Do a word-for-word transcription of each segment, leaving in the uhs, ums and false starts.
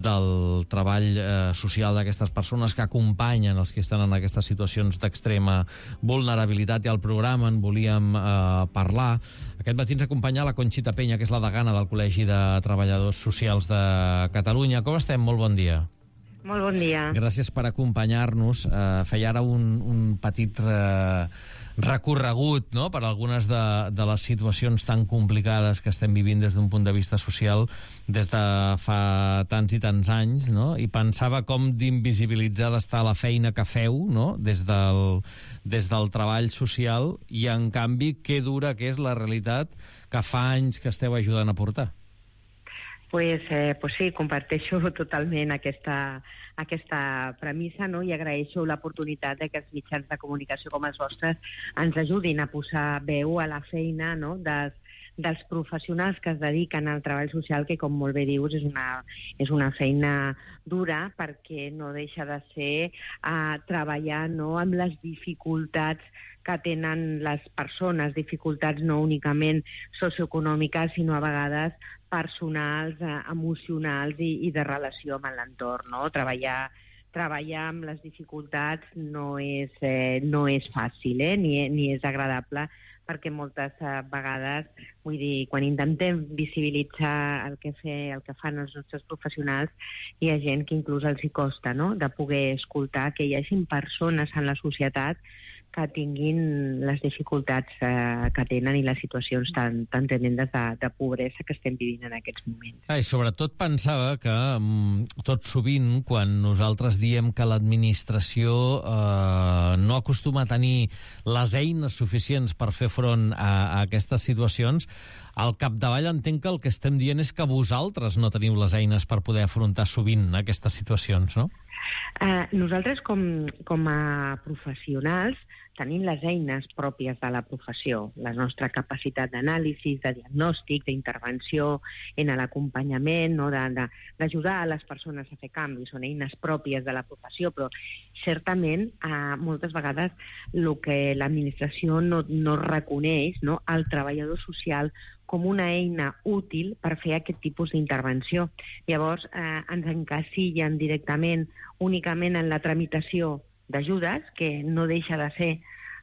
del treball eh, social d'aquestes persones que acompanyen els que estan en aquestes situacions d'extrema vulnerabilitat, i al programa en volíem eh, parlar. Aquest matí ens acompanya la Conxita Peña, que és la degana del Col·legi de Treballadors Socials de Catalunya. Com estem? Molt bon dia. Molt bon dia. Gràcies per acompanyar-nos. Eh, feia ara un, un petit eh, recorregut, no?, per algunes de, de les situacions tan complicades que estem vivint des d'un punt de vista social des de fa tants i tants anys, no?, i pensava com d'invisibilitzada està la feina que feu, no?, des del, des del treball social, i en canvi que dura que és la realitat que fa anys que esteu ajudant a portar. Pues, eh, pues sí, comparteixo totalment aquesta, aquesta premissa, no? I agraeixo l'oportunitat de que els mitjans de comunicació com els vostres ens ajudin a posar veu a la feina, no?, dels, dels professionals que es dediquen al treball social, que, com molt bé dius, és una, és una feina dura, perquè no deixa de ser uh, treballar, no?, amb les dificultats que tenen les persones, dificultats no únicament socioeconòmiques, sinó a vegades personals, eh, emocionals i, i de relació amb l'entorn, no? Treballar, treballar amb les dificultats no és, eh, no és fàcil, eh? ni, ni és agradable, perquè moltes eh, vegades, vull dir, quan intentem visibilitzar el que, fe, el que fan els nostres professionals, hi ha gent que inclús els hi costa, no?, de poder escoltar que hi hagi persones en la societat que tinguin les dificultats eh, que tenen i les situacions tan, tan tremendes de, de pobresa que estem vivint en aquests moments. Ah, i sobretot pensava que mm, tot sovint, quan nosaltres diem que l'administració eh, no acostuma a tenir les eines suficients per fer front a, a aquestes situacions, al capdavall entenc que el que estem dient és que vosaltres no teniu les eines per poder afrontar sovint aquestes situacions, no? Uh, nosaltres, com, com a professionals, tenim les eines pròpies de la professió, la nostra capacitat d'anàlisi, de diagnòstic, d'intervenció en l'acompanyament, no?, d'ajudar a les persones a fer canvis. Són eines pròpies de la professió, però certament eh, moltes vegades el que l'administració no, no reconeix, no?, al treballador social com una eina útil per fer aquest tipus d'intervenció. Llavors eh, ens encasillen directament únicament en la tramitació d'ajudes, que no deixa de ser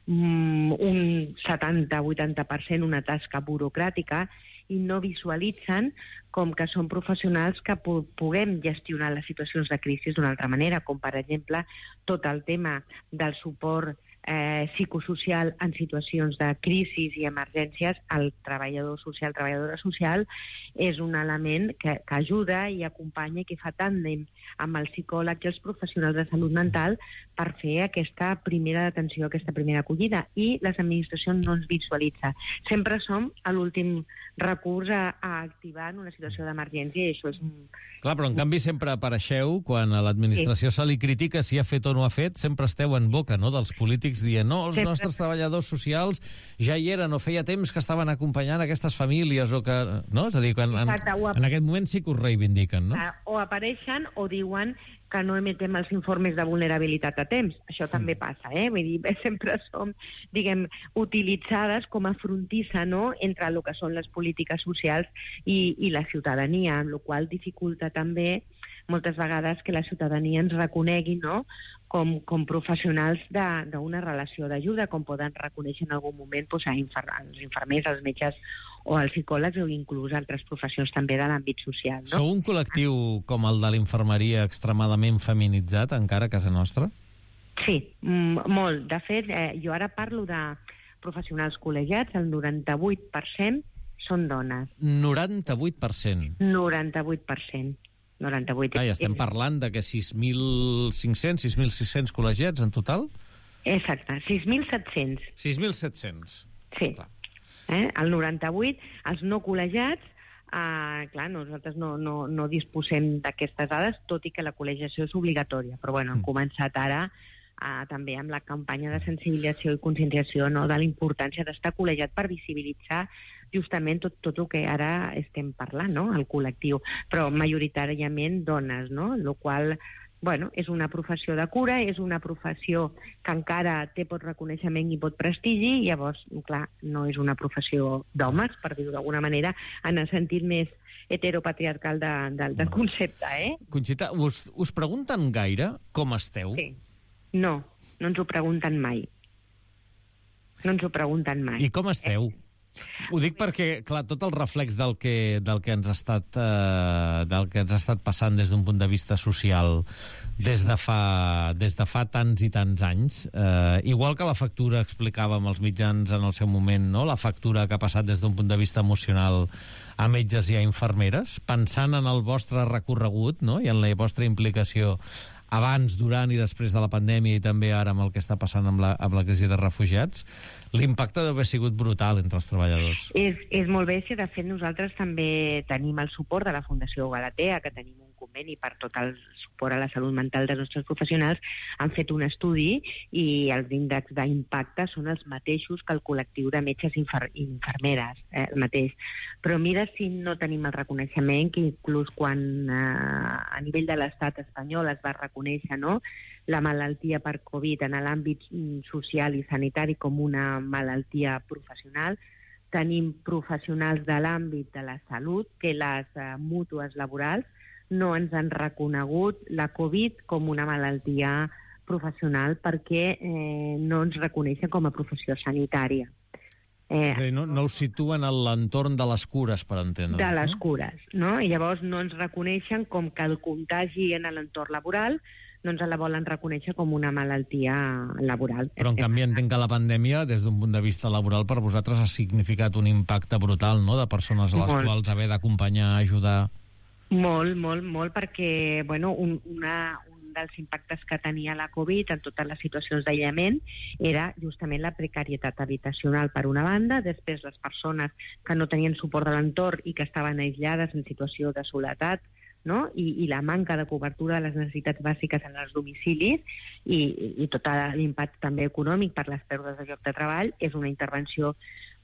mm, un setanta a vuitanta per cent una tasca burocràtica, i no visualitzen com que són professionals que pu puguem gestionar les situacions de crisi d'una altra manera, com per exemple tot el tema del suport eh, psicosocial en situacions de crisi i emergències. El treballador social, treballadora social, és un element que, que ajuda i acompanya i que fa tàndem amb el psicòleg i els professionals de salut mental per fer aquesta primera atenció, aquesta primera acollida, i les administracions no ens visualitza. Sempre som a l'últim recurs a, a activar en una situació d'emergència, i això és un... Clar, però en canvi sempre apareixeu, quan a l'administració sí. se li critica si ha fet o no ha fet, sempre esteu en boca, no?, dels polítics dient, no, els sempre. nostres treballadors socials ja hi eren, o feia temps que estaven acompanyant aquestes famílies, o que... No? És a dir, quan, en, en aquest moment sí que us reivindiquen, no? O apareixen o diuen que no emetem els informes de vulnerabilitat a temps. Això sí. també passa, eh? Vull dir, sempre som, diguem, utilitzades com a frontissa, no?, entre el que són les polítiques socials i, i la ciutadania, amb la qual cosa dificulta també moltes vegades que la ciutadania ens reconegui, no?, com, com professionals d'una relació d'ajuda, com poden reconèixer en algun moment doncs, a infer els infermers, els metges o els psicòlegs, o inclús altres professions també de l'àmbit social, no? Sou un col·lectiu com el de l'infermeria extremadament feminitzat encara a casa nostra? Sí, molt. De fet, eh, jo ara parlo de professionals col·legiats, el noranta-vuit per cent són dones. noranta-vuit per cent? noranta-vuit per cent. noranta-vuit. Ah, ja estem parlant de que sis mil cinc-cents, sis mil sis-cents col·legiats en total? Exacte, sis mil set-cents. sis mil set-cents. Sí. Eh? El noranta-vuit, els no col·legiats, eh, clar, nosaltres no, no, no disposem d'aquestes dades, tot i que la col·legiació és obligatòria, però bueno, hem començat ara eh, també amb la campanya de sensibilització i conscienciació, no?, de la importància d'estar col·legiat per visibilitzar justament tot, tot el que ara estem parlant, no?, el col·lectiu, però majoritàriament dones, no?, el qual bueno, és una professió de cura, és una professió que encara té pot reconeixement i pot prestigi, i llavors, clar, no és una professió d'homes, per dir-ho d'alguna manera, en el sentit més, heteropatriarcal de, de, del concepte, eh? Conxita, us, us pregunten gaire com esteu? Sí. No, no ens ho pregunten mai. No ens ho pregunten mai. I com esteu? Eh? Ho dic perquè, clar, tot el reflex del que, del que ens ha estat eh, del que ens ha estat passant des d'un punt de vista social des de fa, des de fa tants i tants anys, eh, igual que la factura explicàvem als mitjans en el seu moment, no? La factura que ha passat des d'un punt de vista emocional a metges i a infermeres, pensant en el vostre recorregut, no? I en la vostra implicació abans, durant i després de la pandèmia i també ara amb el que està passant amb la, amb la crisi de refugiats, l'impacte deu haver sigut brutal entre els treballadors. És, és molt bé, si de fet nosaltres també tenim el suport de la Fundació Galatea, que tenim un conveni per tot el suport a la salut mental dels nostres professionals, han fet un estudi i els índexs d'impacte són els mateixos que el col·lectiu de metges i infer infermeres, eh, el mateix. Però mira si no tenim el reconeixement que inclús quan eh, a nivell de l'estat espanyol es va reconèixer, no?, la malaltia per Covid en l'àmbit social i sanitari com una malaltia professional, tenim professionals de l'àmbit de la salut que les eh, mútues laborals no ens han reconegut la Covid com una malaltia professional perquè eh, no ens reconeixen com a professió sanitària. Eh, és a dir, no, no ho situen a l'entorn de les cures, per entendre. De les cures, no? I llavors no ens reconeixen com que el contagi en l'entorn laboral no ens la volen reconèixer com una malaltia laboral. Però, en canvi, entenc que la pandèmia, des d'un punt de vista laboral, per vosaltres ha significat un impacte brutal, no?, de persones a les molt. quals haver d'acompanyar, ajudar... Molt, molt, molt, perquè, bueno, un, una, un dels impactes que tenia la Covid en totes les situacions d'aïllament era justament la precarietat habitacional, per una banda, després les persones que no tenien suport de l'entorn i que estaven aïllades en situació de soledat, no? I, i la manca de cobertura de les necessitats bàsiques en els domicilis i, i tot l'impacte també econòmic per les pèrdues de lloc de treball és una intervenció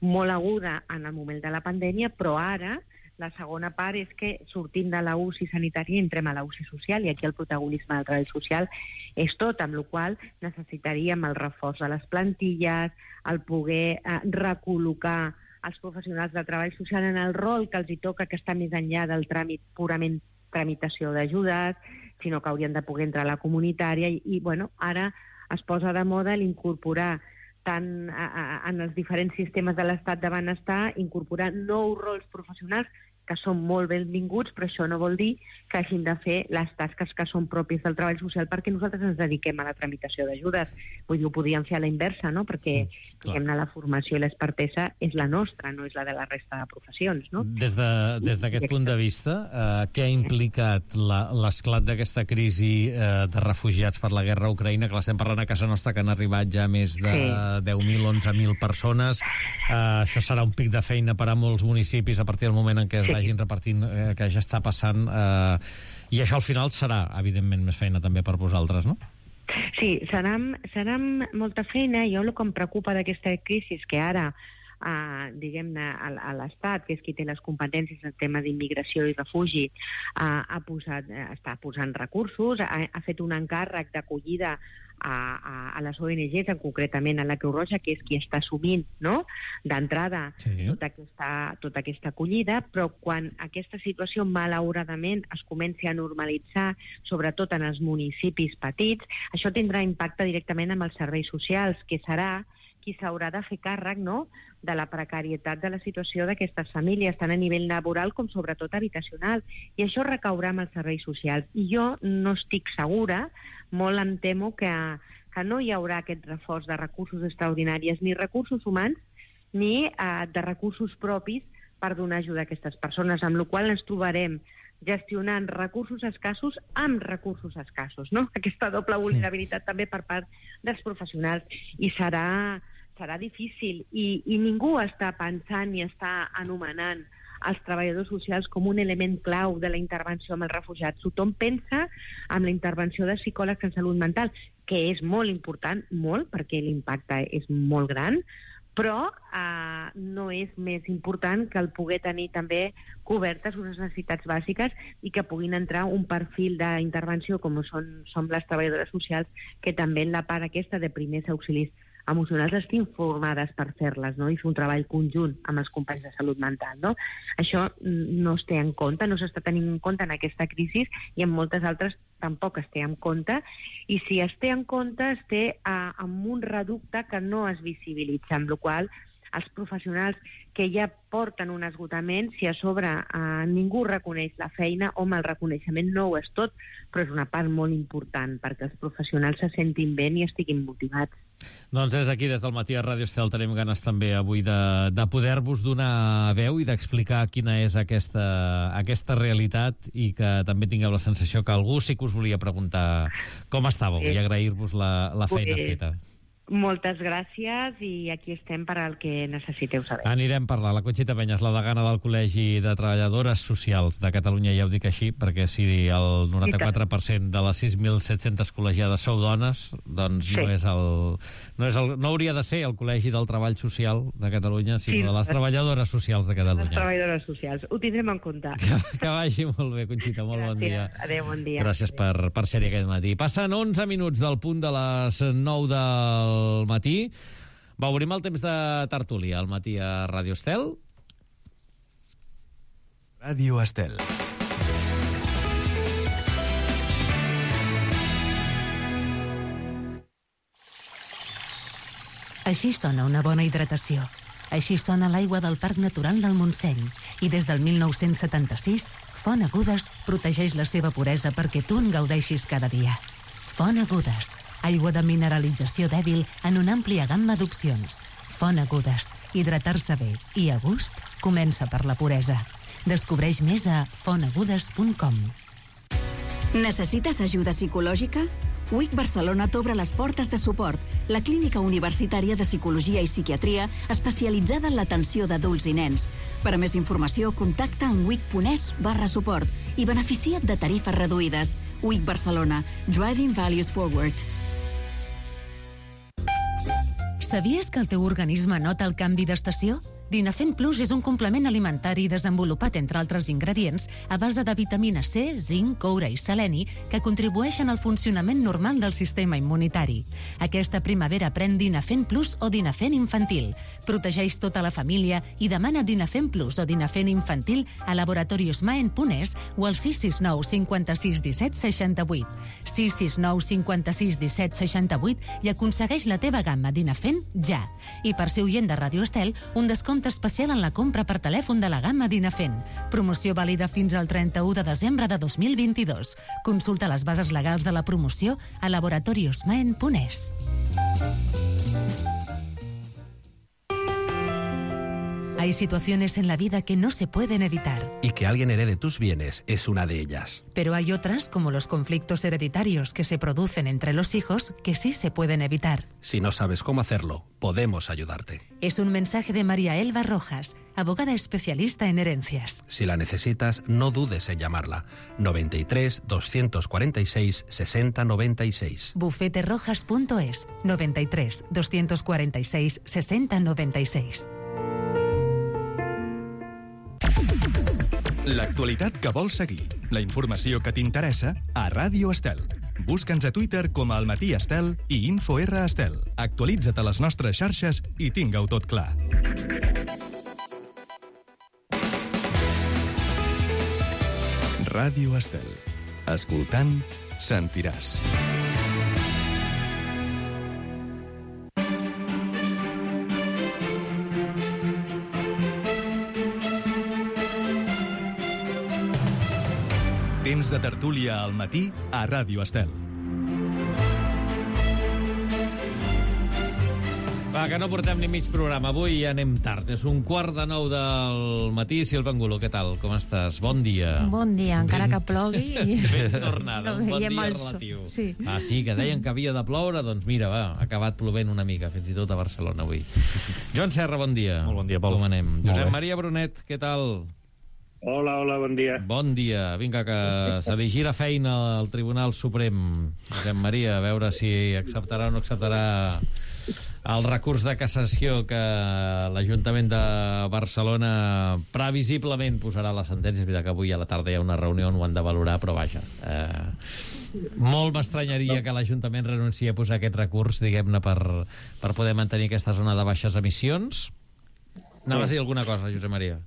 molt aguda en el moment de la pandèmia, però ara la segona part és que sortim de la U C I sanitària i entrem a la U C I social, i aquí el protagonisme del treball social és tot, amb la qual cosa necessitaríem el reforç de les plantilles, el poder eh, recol·locar els professionals de treball social en el rol que els hi toca, que està més enllà del tràmit purament tramitació d'ajudes, sinó que haurien de poder entrar a la comunitària i, i bueno, ara es posa de moda l'incorporar tant a, a, en els diferents sistemes de l'estat de benestar, incorporar nous rols professionals que són molt benvinguts, però això no vol dir que hagin de fer les tasques que són pròpies del treball social perquè nosaltres ens dediquem a la tramitació d'ajudes. Vull dir, ho podíem fer a la inversa, no?, perquè mm, diguem-ne, la formació i l'expertesa és la nostra, no és la de la resta de professions, no? Des d'aquest de, punt de vista, eh, què ha implicat l'esclat d'aquesta crisi eh, de refugiats per la guerra a Ucraïna, que l'estem parlant a casa nostra, que han arribat ja més de sí. deu mil, onze mil persones. Eh, això serà un pic de feina per a molts municipis a partir del moment en què es sí. vagin repartint, eh, que ja està passant, eh, i això al final serà, evidentment, més feina també per vosaltres, no? Sí, serà, serà molta feina. Jo el que em preocupa d'aquesta crisi és que ara, eh, diguem-ne, a, a l'Estat, que és qui té les competències en tema d'immigració i refugi, eh, ha posat, eh, està posant recursos, ha, ha fet un encàrrec d'acollida A, a, a les O N Ges, concretament a la Creu Roja, que és qui està assumint, no?, d'entrada sí. tota, aquesta, tota aquesta acollida, però quan aquesta situació malauradament es comenci a normalitzar, sobretot en els municipis petits, això tindrà impacte directament amb els serveis socials, que serà qui s'haurà de fer càrrec, no?, de la precarietat de la situació d'aquestes famílies, tant a nivell laboral com sobretot habitacional. I això recaurà amb els serveis socials. I jo no estic segura, molt em temo que, que no hi haurà aquest reforç de recursos extraordinaris, ni recursos humans, ni eh, de recursos propis per donar ajuda a aquestes persones, amb la qual cosa ens trobarem gestionant recursos escassos amb recursos escassos, no? Aquesta doble vulnerabilitat també per part dels professionals. I serà, serà difícil. I, I ningú està pensant ni està anomenant els treballadors socials com un element clau de la intervenció amb els refugiats. Tothom pensa en la intervenció de psicòlegs en salut mental, que és molt important, molt, perquè l'impacte és molt gran, però eh, no és més important que el poder tenir també cobertes unes necessitats bàsiques i que puguin entrar un perfil d'intervenció com són, són les treballadores socials, que també en la part aquesta de primers auxilis emocionals estiguin formades per fer-les, no? I fer un treball conjunt amb els companys de salut mental, no? Això no es té en compte, no s'està tenint en compte en aquesta crisi i en moltes altres tampoc es té en compte, i si es té en compte es té uh, amb un reducte que no es visibilitza, amb la qual cosa els professionals que ja porten un esgotament, si a sobre eh, ningú reconeix la feina, home, el reconeixement no ho és tot, però és una part molt important perquè els professionals se sentin bé i estiguin motivats. Doncs des d'aquí, des del Matí a Ràdio Estel, tenim ganes també avui de, de poder-vos donar veu i d'explicar quina és aquesta, aquesta realitat, i que també tingueu la sensació que algú sí que us volia preguntar com estàveu, sí. I agrair-vos la, la feina sí. feta. Moltes gràcies i aquí estem per al que necessiteu saber. Anirem a parlar. La Conxita Peñas, la degana del Col·legi de Treballadores Socials de Catalunya, ja ho dic així, perquè si el noranta-quatre per cent de les sis mil set-centes col·legiades sou dones, doncs sí. no, és el, no, és el, no hauria de ser el Col·legi del Treball Social de Catalunya, sinó sí. de les Treballadores Socials de Catalunya. Les Treballadores Socials. Ho tindrem en compte. Que, que vagi molt bé, Conxita. Molt gràcies. Bon dia. Adéu, bon dia. Gràcies per, per ser-hi aquest matí. Passen onze minuts del punt de les nou del al matí. Va, obrim el temps de tertúlia al matí a Ràdio Estel. Ràdio Estel. Així sona una bona hidratació. Així sona l'aigua del Parc Natural del Montseny. I des del mil nou-cents setanta-sis, Font Agudes protegeix la seva puresa perquè tu en gaudeixis cada dia. Font Agudes, aigua de mineralització dèbil en una àmplia gamma d'opcions. Font Agudes, hidratar-se bé i a gust comença per la puresa. Descobreix més a font agudes punt com. Necessites ajuda psicològica? U I C Barcelona t'obre les portes de suport, la clínica universitària de psicologia i psiquiatria especialitzada en l'atenció d'adults i nens. Per a més informació, contacta en wic.es barra suport i beneficia't de tarifes reduïdes. U I C Barcelona, Driving Values Forward. Sabies que el teu organisme nota el canvi d'estació? Dinafen Plus és un complement alimentari desenvolupat, entre altres ingredients, a base de vitamina C, zinc, coure i seleni, que contribueixen al funcionament normal del sistema immunitari. Aquesta primavera pren Dinafen Plus o Dinafen Infantil. Protegeix tota la família i demana Dinafen Plus o Dinafen Infantil a laboratoriosmaen punt es o al sis sis nou cinquanta-sis disset seixanta-vuit. sis sis nou cinquanta-sis disset seixanta-vuit i aconsegueix la teva gamma Dinafen ja. I per ser oient de Ràdio Estel, un descompte especial en la compra per telèfon de la gamma Dinafen. Promoció vàlida fins al trenta-u de desembre de dos mil vint-i-dos. Consulta les bases legals de la promoció a laboratoriosmaen punt es. Hay situaciones en la vida que no se pueden evitar. Y que alguien herede tus bienes es una de ellas. Pero hay otras, como los conflictos hereditarios que se producen entre los hijos, que sí se pueden evitar. Si no sabes cómo hacerlo, podemos ayudarte. Es un mensaje de María Elba Rojas, abogada especialista en herencias. Si la necesitas, no dudes en llamarla. noventa y tres, doscientos cuarenta y seis, sesenta noventa y seis. bufete rojas punto es, noventa y tres, doscientos cuarenta y seis, sesenta noventa y seis. L'actualitat que vols seguir, la informació que t'interessa a Ràdio Estel. Busca'ns a Twitter com a Almatí Estel i InfoR Estel. Actualitza't a les nostres xarxes i tinga-ho tot clar. Ràdio Estel. Escoltant, sentiràs. Temps de tertúlia al matí a Ràdio Estel. Va, que no portem ni mig programa. Avui ja anem tard. És un quart de nou del matí. Sílvia Angulo, què tal? Com estàs? Bon dia. Bon dia, encara ben, que plogui. Ben tornada, no un bon dia el... relatiu. Sí. Ah, sí, que deien que havia de ploure. Doncs mira, va, ha acabat plovent una mica, fins i tot a Barcelona avui. Joan Serra, bon dia. Molt bon dia, Pol. Com anem? Molt Josep bé. Maria Brunet, què tal? Hola, hola, bon dia. Bon dia. Vinga, que se li gira feina al Tribunal Suprem. Josep Maria, a veure si acceptarà o no acceptarà el recurs de cassació que l'Ajuntament de Barcelona previsiblement posarà a la sentència. És veritat que avui a la tarda hi ha una reunió on ho han de valorar, però vaja, eh, Molt m'estranyaria que l'Ajuntament renunciï a posar aquest recurs, diguem-ne, per, per poder mantenir aquesta zona de baixes emissions. Anaves a dir alguna cosa, Josep Maria?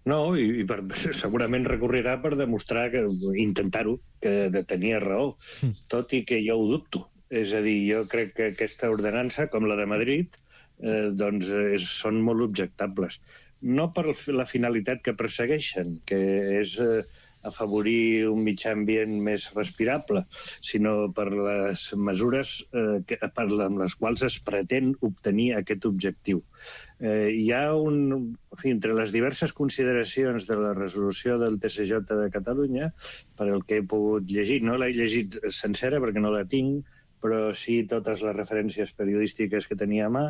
No, i, i per, segurament recorrerà per demostrar que intentar-ho, que tenia raó, tot i que jo ho dubto. És a dir, jo crec que aquesta ordenança, com la de Madrid, eh, doncs és, són molt objectables. No per la finalitat que persegueixen, que és eh, afavorir un mitjà ambient més respirable, sinó per les mesures eh, que, per amb les quals es pretén obtenir aquest objectiu. Eh, hi ha un... En fi, entre les diverses consideracions de la resolució del T C J de Catalunya, per el que he pogut llegir, no l'he llegit sencera perquè no la tinc, però sí totes les referències periodístiques que tenia a mà,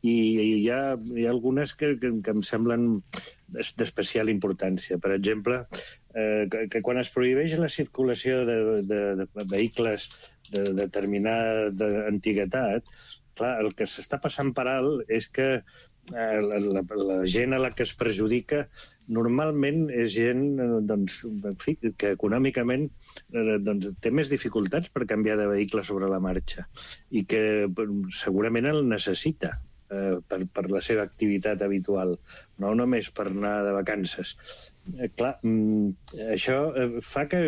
i hi ha, hi ha algunes que, que, que em semblen d'especial importància. Per exemple, eh, que, que quan es prohibeix la circulació de, de, de vehicles de determinada antiguitat, clar, el que s'està passant per alt és que eh, la, la, la gent a la que es perjudica normalment és gent doncs, en fi, que econòmicament eh, doncs, té més dificultats per canviar de vehicle sobre la marxa i que segurament el necessita eh, per, per la seva activitat habitual, no només per anar de vacances. Eh, clar, mm, això eh, fa que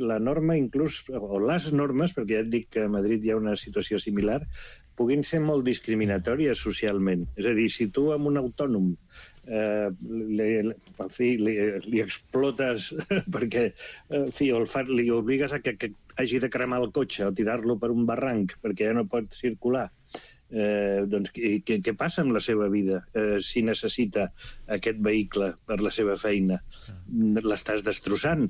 la norma inclús, o les normes, perquè ja et dic que a Madrid hi ha una situació similar, puguin ser molt discriminatòries socialment. És a dir, si tu amb un autònom eh, li, en fi, li, li explotes perquè en fi, el fa, li obligues a que, que hagi de cremar el cotxe o tirar-lo per un barranc perquè ja no pot circular, eh, doncs què, què passa amb la seva vida eh, si necessita aquest vehicle per la seva feina? L'estàs destrossant.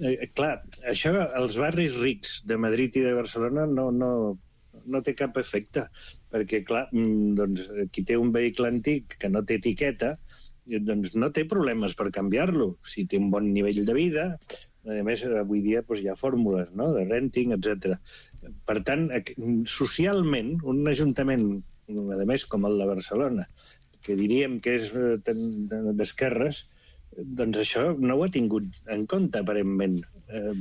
Eh, clar, això als barris rics de Madrid i de Barcelona no... no no té cap efecte, perquè, clar, doncs, qui té un vehicle antic que no té etiqueta, doncs no té problemes per canviar-lo, si té un bon nivell de vida. A més, avui dia doncs, hi ha fórmules, no?, de renting, etcètera. Per tant, socialment, un ajuntament, a més, com el de Barcelona, que diríem que és d'esquerres, doncs això no ho ha tingut en compte, aparentment. Eh,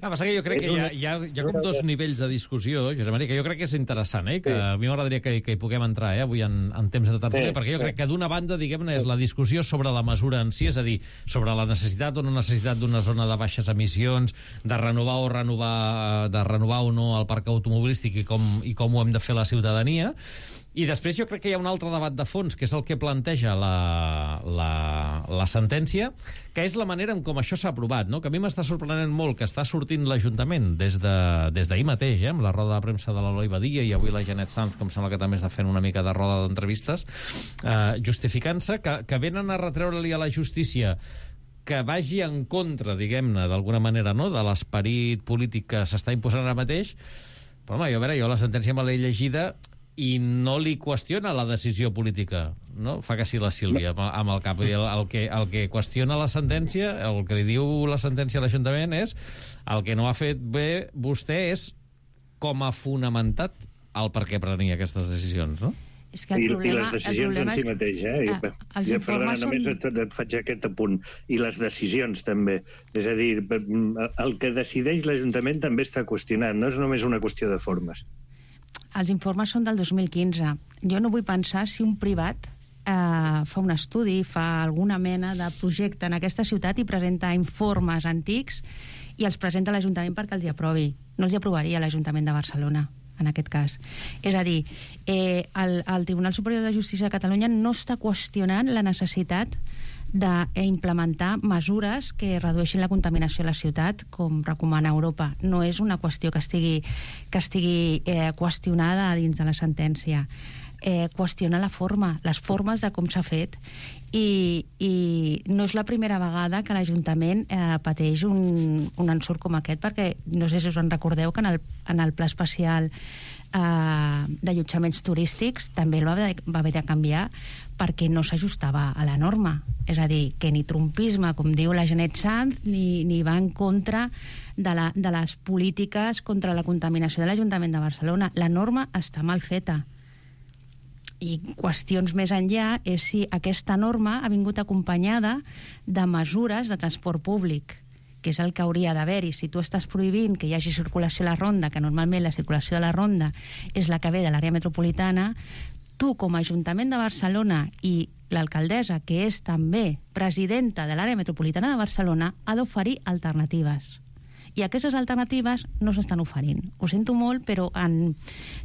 ah, passa que jo crec que hi ha, hi ha, hi ha com dos nivells de discussió, Josep Maria, que jo crec que és interessant, eh? Que sí. A mi m'agradaria que, que hi puguem entrar eh? avui en, en temps de tertúlia, sí, perquè jo sí. crec que d'una banda, diguem-ne, és la discussió sobre la mesura en si, és a dir, sobre la necessitat o no necessitat d'una zona de baixes emissions, de renovar o renovar, de renovar o no el parc automobilístic i com, i com ho hem de fer la ciutadania. I després jo crec que hi ha un altre debat de fons, que és el que planteja la, la, la sentència, que és la manera en com això s'ha aprovat, no? Que a mi m'està sorprenent molt que està sortint l'Ajuntament des de, des d'ahir mateix, eh? Amb la roda de premsa de l'Eloi Badia i avui la Janet Sanz, com sembla que també està fent una mica de roda d'entrevistes, eh, justificant-se que, que venen a retreure-li a la justícia que vagi en contra, diguem-ne, d'alguna manera, no?, de l'esperit polític que s'està imposant ara mateix. Però, home, jo, a veure, jo la sentència me l'he llegida i no li qüestiona la decisió política, no? Fa que sí la Sílvia amb el cap. El, el, que, el que qüestiona la sentència, el que li diu la sentència a l'Ajuntament és el que no ha fet bé vostè és com ha fonamentat el per què prenia aquestes decisions, no? És que el problema, I les decisions en si és... mateix, eh? Ah, els ja, informes perdona, són... només et, et faig aquest apunt. I les decisions, també. És a dir, el que decideix l'Ajuntament també està qüestionat, no és només una qüestió de formes. Els informes són del dos mil quinze. Jo no vull pensar si un privat eh, fa un estudi, fa alguna mena de projecte en aquesta ciutat i presenta informes antics i els presenta a l'Ajuntament perquè els hi aprovi. No els hi aprovaria l'Ajuntament de Barcelona, en aquest cas. És a dir, eh, el, el Tribunal Superior de Justícia de Catalunya no està qüestionant la necessitat d'implementar mesures que redueixin la contaminació a la ciutat, com recomana Europa. No és una qüestió que estigui, que estigui eh, qüestionada dins de la sentència. Eh, qüestiona la forma, les formes de com s'ha fet, i, i no és la primera vegada que l'Ajuntament eh, pateix un, un ensurt com aquest, perquè no sé si us en recordeu que en el, en el pla especial eh, d'allotjaments turístics també el va haver, va haver de canviar perquè no s'ajustava a la norma. És a dir, que ni trumpisme, com diu la Janet Sanz, ni, ni va en contra de, la, de les polítiques contra la contaminació de l'Ajuntament de Barcelona. La norma està mal feta. I qüestions més enllà és si aquesta norma ha vingut acompanyada de mesures de transport públic que és el que hauria d'haver-hi. Si tu estàs prohibint que hi hagi circulació a la ronda, que normalment la circulació de la ronda és la que ve de l'àrea metropolitana, tu, com a Ajuntament de Barcelona i l'alcaldessa, que és també presidenta de l'àrea metropolitana de Barcelona, ha d'oferir alternatives. I aquestes alternatives no s'estan oferint. Ho sento molt, però en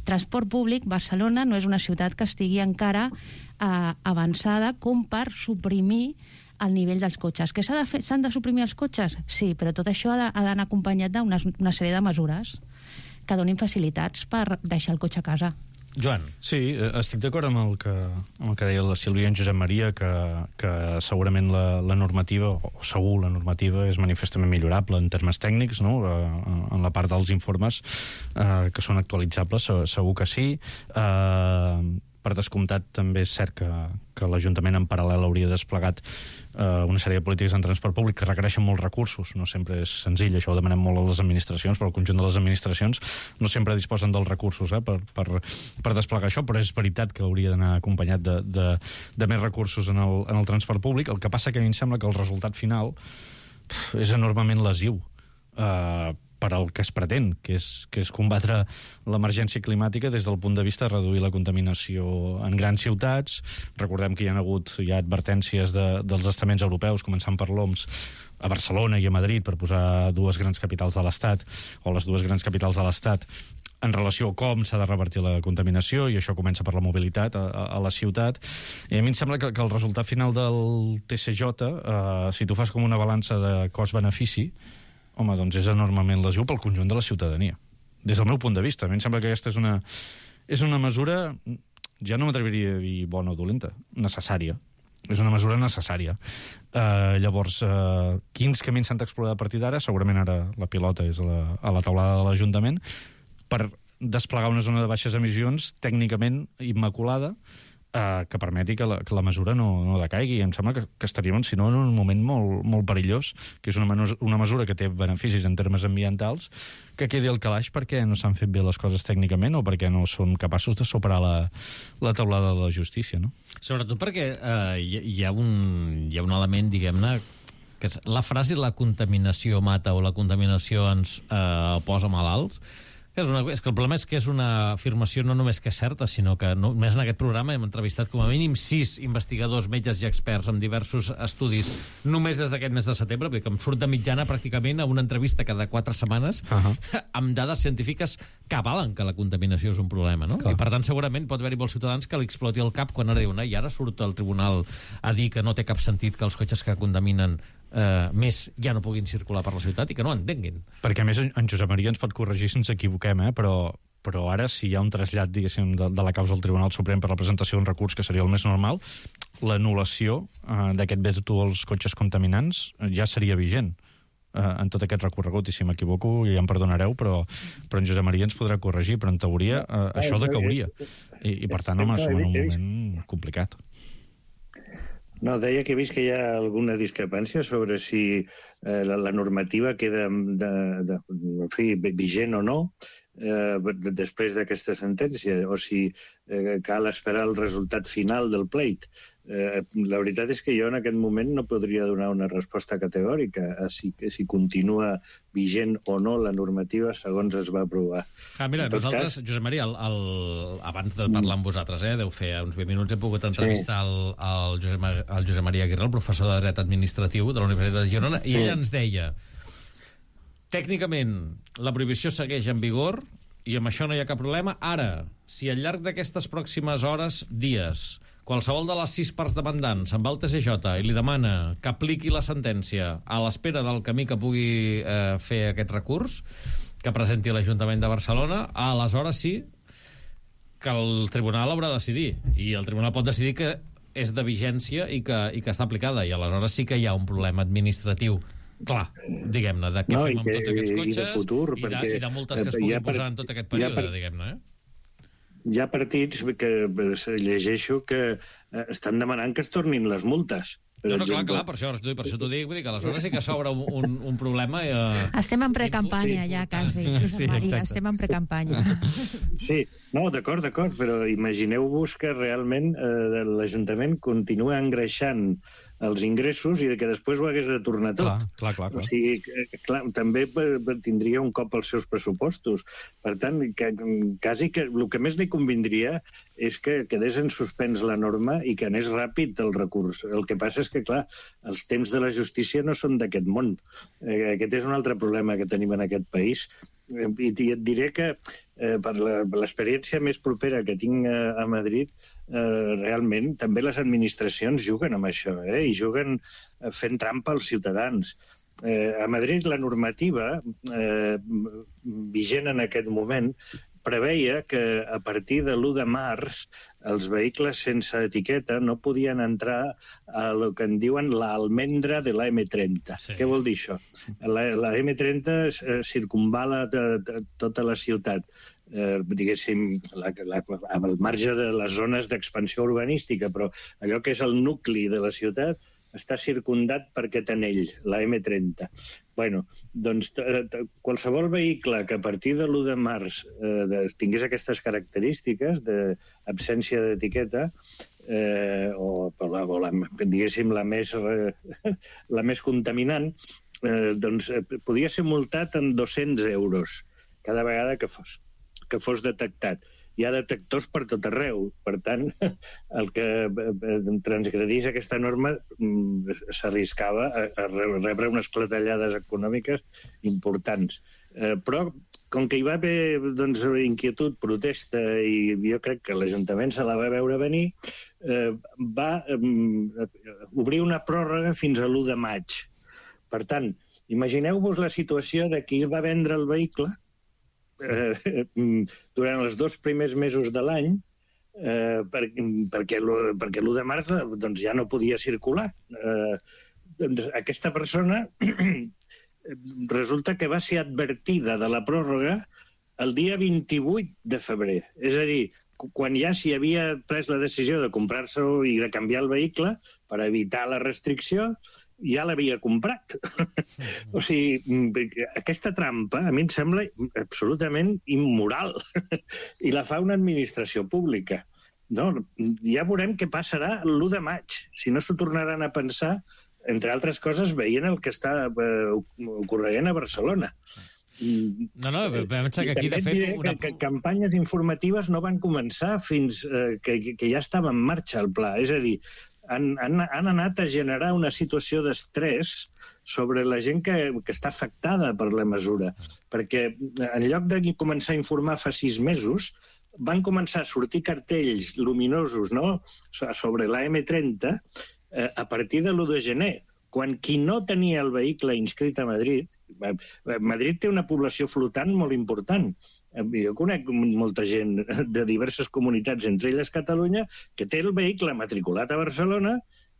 transport públic Barcelona no és una ciutat que estigui encara eh, avançada com per suprimir el nivell dels cotxes. Que s'han de, fer, s'han de suprimir els cotxes? Sí, però tot això ha d'anar acompanyat d'una una sèrie de mesures que donin facilitats per deixar el cotxe a casa. Joan. Sí, estic d'acord amb el que, amb el que deia la Sílvia i en Josep Maria, que, que segurament la, la normativa, o segur la normativa, és manifestament millorable en termes tècnics, no? En la part dels informes eh, que són actualitzables, segur que sí. Eh, per descomptat, també és cert que, que l'Ajuntament en paral·lel hauria desplegat eh, una sèrie de polítiques en transport públic que requereixen molts recursos. No sempre és senzill, això ho demanem molt a les administracions, però el conjunt de les administracions no sempre disposen dels recursos eh, per, per, per desplegar això, però és veritat que hauria d'anar acompanyat de, de, de més recursos en el, en el transport públic. El que passa que a mi em sembla que el resultat final pf, és enormement lesiu. Eh, per al que es pretén, que és, que és combatre l'emergència climàtica des del punt de vista de reduir la contaminació en grans ciutats. Recordem que hi ha hagut hi ha advertències de, dels estaments europeus, començant per l'O M S, a Barcelona i a Madrid, per posar dues grans capitals de l'Estat, o les dues grans capitals de l'Estat, en relació a com s'ha de revertir la contaminació, i això comença per la mobilitat a, a, a la ciutat. I a mi em sembla que, que el resultat final del T C J, eh, si tu fas com una balança de cost-benefici, home, doncs és enormement lesiu pel conjunt de la ciutadania. Des del meu punt de vista. A mi em sembla que aquesta és una, és una mesura, ja no m'atreviria a dir bona o dolenta, necessària. És una mesura necessària. Uh, llavors, uh, quins camins s'han d'explorar a partir d'ara? Segurament ara la pilota és a la, a la taulada de l'Ajuntament, per desplegar una zona de baixes emissions tècnicament immaculada, Uh, que permeti que la, que la mesura no, no decaigui. Em sembla que, que estaríem, si no, en un moment molt, molt perillós, que és una, menus, una mesura que té beneficis en termes ambientals, que quedi al calaix perquè no s'han fet bé les coses tècnicament o perquè no són capaços de superar la, la taulada de la justícia, no? Sobretot perquè uh, hi, hi, ha un, hi ha un element, diguem-ne, que és la frase la contaminació mata o la contaminació ens uh, posa malalts. És, una, és que el problema és que és una afirmació no només que és certa, sinó que només en aquest programa hem entrevistat com a mínim sis investigadors, metges i experts amb diversos estudis només des d'aquest mes de setembre, perquè em surt de mitjana pràcticament a una entrevista cada quatre setmanes uh-huh. amb dades científiques que avalen que la contaminació és un problema, no? Clar. I per tant segurament pot haver-hi molts ciutadans que li exploti el cap quan ara diuen i ara surt el tribunal a dir que no té cap sentit que els cotxes que contaminen Uh, més ja no puguin circular per la ciutat i que no entenguin. Perquè a més en Josep Maria ens pot corregir si ens equivoquem, eh? però, però ara si hi ha un trasllat, diguéssim, de, de la causa al Tribunal Suprem per la presentació d'un recurs, que seria el més normal, l'anul·lació uh, d'aquest veto als cotxes contaminants uh, ja seria vigent uh, en tot aquest recorregut, i si m'equivoco ja em perdonareu, però, però en Josep Maria ens podrà corregir, però en teoria uh, això decauria, i, i per tant home, som en un moment complicat. No, deia que he vist que hi ha alguna discrepància sobre si eh, la, la normativa queda de, de, en fi, vigent o no eh, després d'aquesta sentència, o si eh, cal esperar el resultat final del pleit. Eh, la veritat és que jo en aquest moment no podria donar una resposta categòrica a si, si continua vigent o no la normativa segons es va aprovar. Ah, mira, nosaltres, cas... Josep Maria, el, el, abans de parlar amb vosaltres, eh, deu fer uns vint minuts, hem pogut entrevistar sí. el, el, Josep, el Josep Maria Aguirre, el professor de Dret Administratiu de la Universitat de Girona, i ell ens deia tècnicament la prohibició segueix en vigor i amb això no hi ha cap problema. Ara, si al llarg d'aquestes pròximes hores, dies, qualsevol de les sis parts demandants se'n va al T C J i li demana que apliqui la sentència a l'espera del camí que pugui eh, fer aquest recurs, que presenti l'Ajuntament de Barcelona, aleshores sí que el tribunal haurà de decidir. I el tribunal pot decidir que és de vigència i que, i que està aplicada. I aleshores sí que hi ha un problema administratiu clar, diguem-ne, de què no, fem amb que, tots aquests cotxes i de, futur, i de, i de multes que es puguin per, posar en tot aquest període, per, diguem-ne, eh? Hi ha partits que llegeixo que estan demanant que es tornin les multes. No, no, clar, clar, per això, per això t'ho dic, vull dir que aleshores sí que s'obre un, un, un problema... Eh, estem en precampanya ja, quasi, sí, Maria, estem en precampanya. Sí, no, d'acord, d'acord, però imagineu-vos que realment eh, l'Ajuntament continua engreixant els ingressos i que després ho hagués de tornar tot. Clar, clar, clar, clar. O sigui, clar, també tindria un cop als seus pressupostos. Per tant, que, quasi que el que més li convindria és que quedés en suspens la norma i que anés ràpid el recurs. El que passa és que, clar, els temps de la justícia no són d'aquest món. Eh, aquest és un altre problema que tenim en aquest país. Eh, I et diré que eh, per l'experiència més propera que tinc a, a Madrid, eh, realment també les administracions juguen amb això, eh, i juguen fent trampa als ciutadans. Eh, a Madrid la normativa eh, vigent en aquest moment preveia que a partir de l'u de març els vehicles sense etiqueta no podien entrar a el que en diuen l'almendra de la eme trenta. Sí. Què vol dir això? La, la eme trenta eh, circunvala de, de, tota la ciutat, eh, diguéssim, la, la, al marge de les zones d'expansió urbanística, però allò que és el nucli de la ciutat està circundat per aquest anell, la eme trenta. Bueno, doncs qualsevol vehicle que a partir de l'u de març eh, de, tingués aquestes característiques d'absència d'etiqueta, eh, o, o, la, o la, diguéssim la més, eh, la més contaminant, eh, doncs eh, podia ser multat amb dos-cents euros cada vegada que fos, que fos detectat. Hi ha detectors per tot arreu. Per tant, el que transgredís aquesta norma s'arriscava a rebre unes clatellades econòmiques importants. Eh, però, com que hi va haver doncs, inquietud, protesta, i jo crec que l'Ajuntament se la va veure venir, eh, va eh, obrir una pròrroga fins a l'u de maig. Per tant, imagineu-vos la situació de qui va vendre el vehicle Eh, durant els dos primers mesos de l'any, eh, per, perquè, perquè l'u de març doncs, ja no podia circular. Eh, doncs, aquesta persona resulta que va ser advertida de la pròrroga el dia vint-i-vuit de febrer. És a dir, quan ja s'hi havia pres la decisió de comprar-se i de canviar el vehicle per evitar la restricció, ja l'havia comprat. O sigui, aquesta trampa a mi em sembla absolutament immoral i la fa una administració pública. No, ja veurem què passarà l'u de maig, si no s'ho tornaran a pensar, entre altres coses, veient el que està eh, ocorrent a Barcelona. No, no, vam pensar que aquí, de fet... Una... Que, que campanyes informatives no van començar fins eh, que, que ja estava en marxa el pla. És a dir, Han, han, han anat a generar una situació d'estrès sobre la gent que, que està afectada per la mesura. Perquè en lloc de començar a informar fa sis mesos, van començar a sortir cartells luminosos, no?, sobre la eme trenta eh, a partir de l'u de gener, quan qui no tenia el vehicle inscrit a Madrid... Madrid té una població flotant molt important. Jo conec molta gent de diverses comunitats, entre elles Catalunya, que té el vehicle matriculat a Barcelona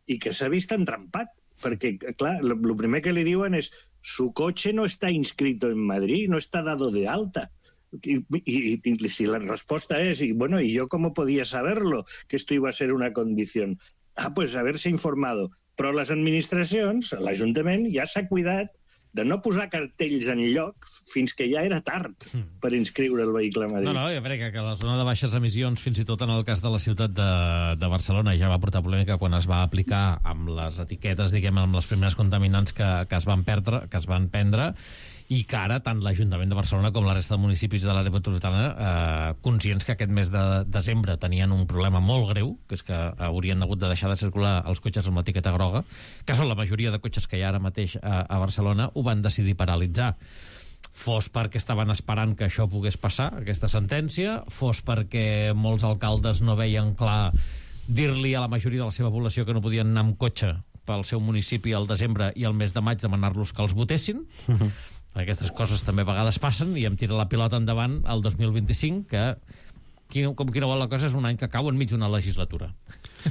i que s'ha vist entrampat. Perquè, clar, el primer que li diuen és su coche no está inscrito en Madrid, no está dado de alta. Y, y, y si la respuesta es, y bueno, ¿y yo cómo podía saberlo? Que esto iba a ser una condición. Ah, pues haberse informado. Però les administracions, l'Ajuntament, ja s'ha cuidat de no posar cartells en lloc fins que ja era tard per inscriure el vehicle a Madrid. No, no, jo crec que la zona de baixes emissions, fins i tot en el cas de la ciutat de, de Barcelona, ja va portar polèmica quan es va aplicar amb les etiquetes, diguem, amb les primeres contaminants que, que es van perdre, que es van prendre, i que ara tant l'Ajuntament de Barcelona com la resta de municipis de l'àrea metropolitana eh, conscients que aquest mes de desembre tenien un problema molt greu, que és que haurien hagut de deixar de circular els cotxes amb l'etiqueta groga, que són la majoria de cotxes que hi ha ara mateix a, a Barcelona, ho van decidir paralitzar. Fos perquè estaven esperant que això pogués passar, aquesta sentència, fos perquè molts alcaldes no veien clar dir-li a la majoria de la seva població que no podien anar amb cotxe pel seu municipi al desembre i al mes de maig demanar-los que els votessin. Aquestes coses també a vegades passen i em tira la pilota endavant al dos mil vint-i-cinc, que com quina vol la cosa és un any que cau enmig d'una legislatura.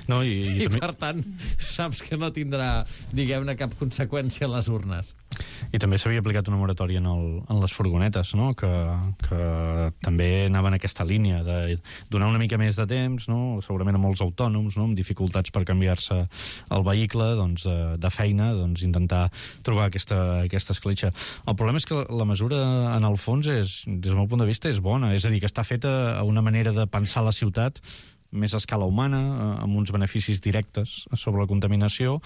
No, i, i, I també... per tant, saps que no tindrà, diguem-ne, cap conseqüència a les urnes. I també s'havia aplicat una moratòria en, el, en les furgonetes, no?, que, que també anava en aquesta línia de donar una mica més de temps, no?, segurament a molts autònoms, no?, amb dificultats per canviar-se el vehicle, doncs, de feina, doncs, intentar trobar aquesta, aquesta escletxa. El problema és que la mesura, en el fons, és, des del meu punt de vista, és bona. És a dir, que està feta a una manera de pensar la ciutat més a escala humana, amb uns beneficis directes sobre la contaminació.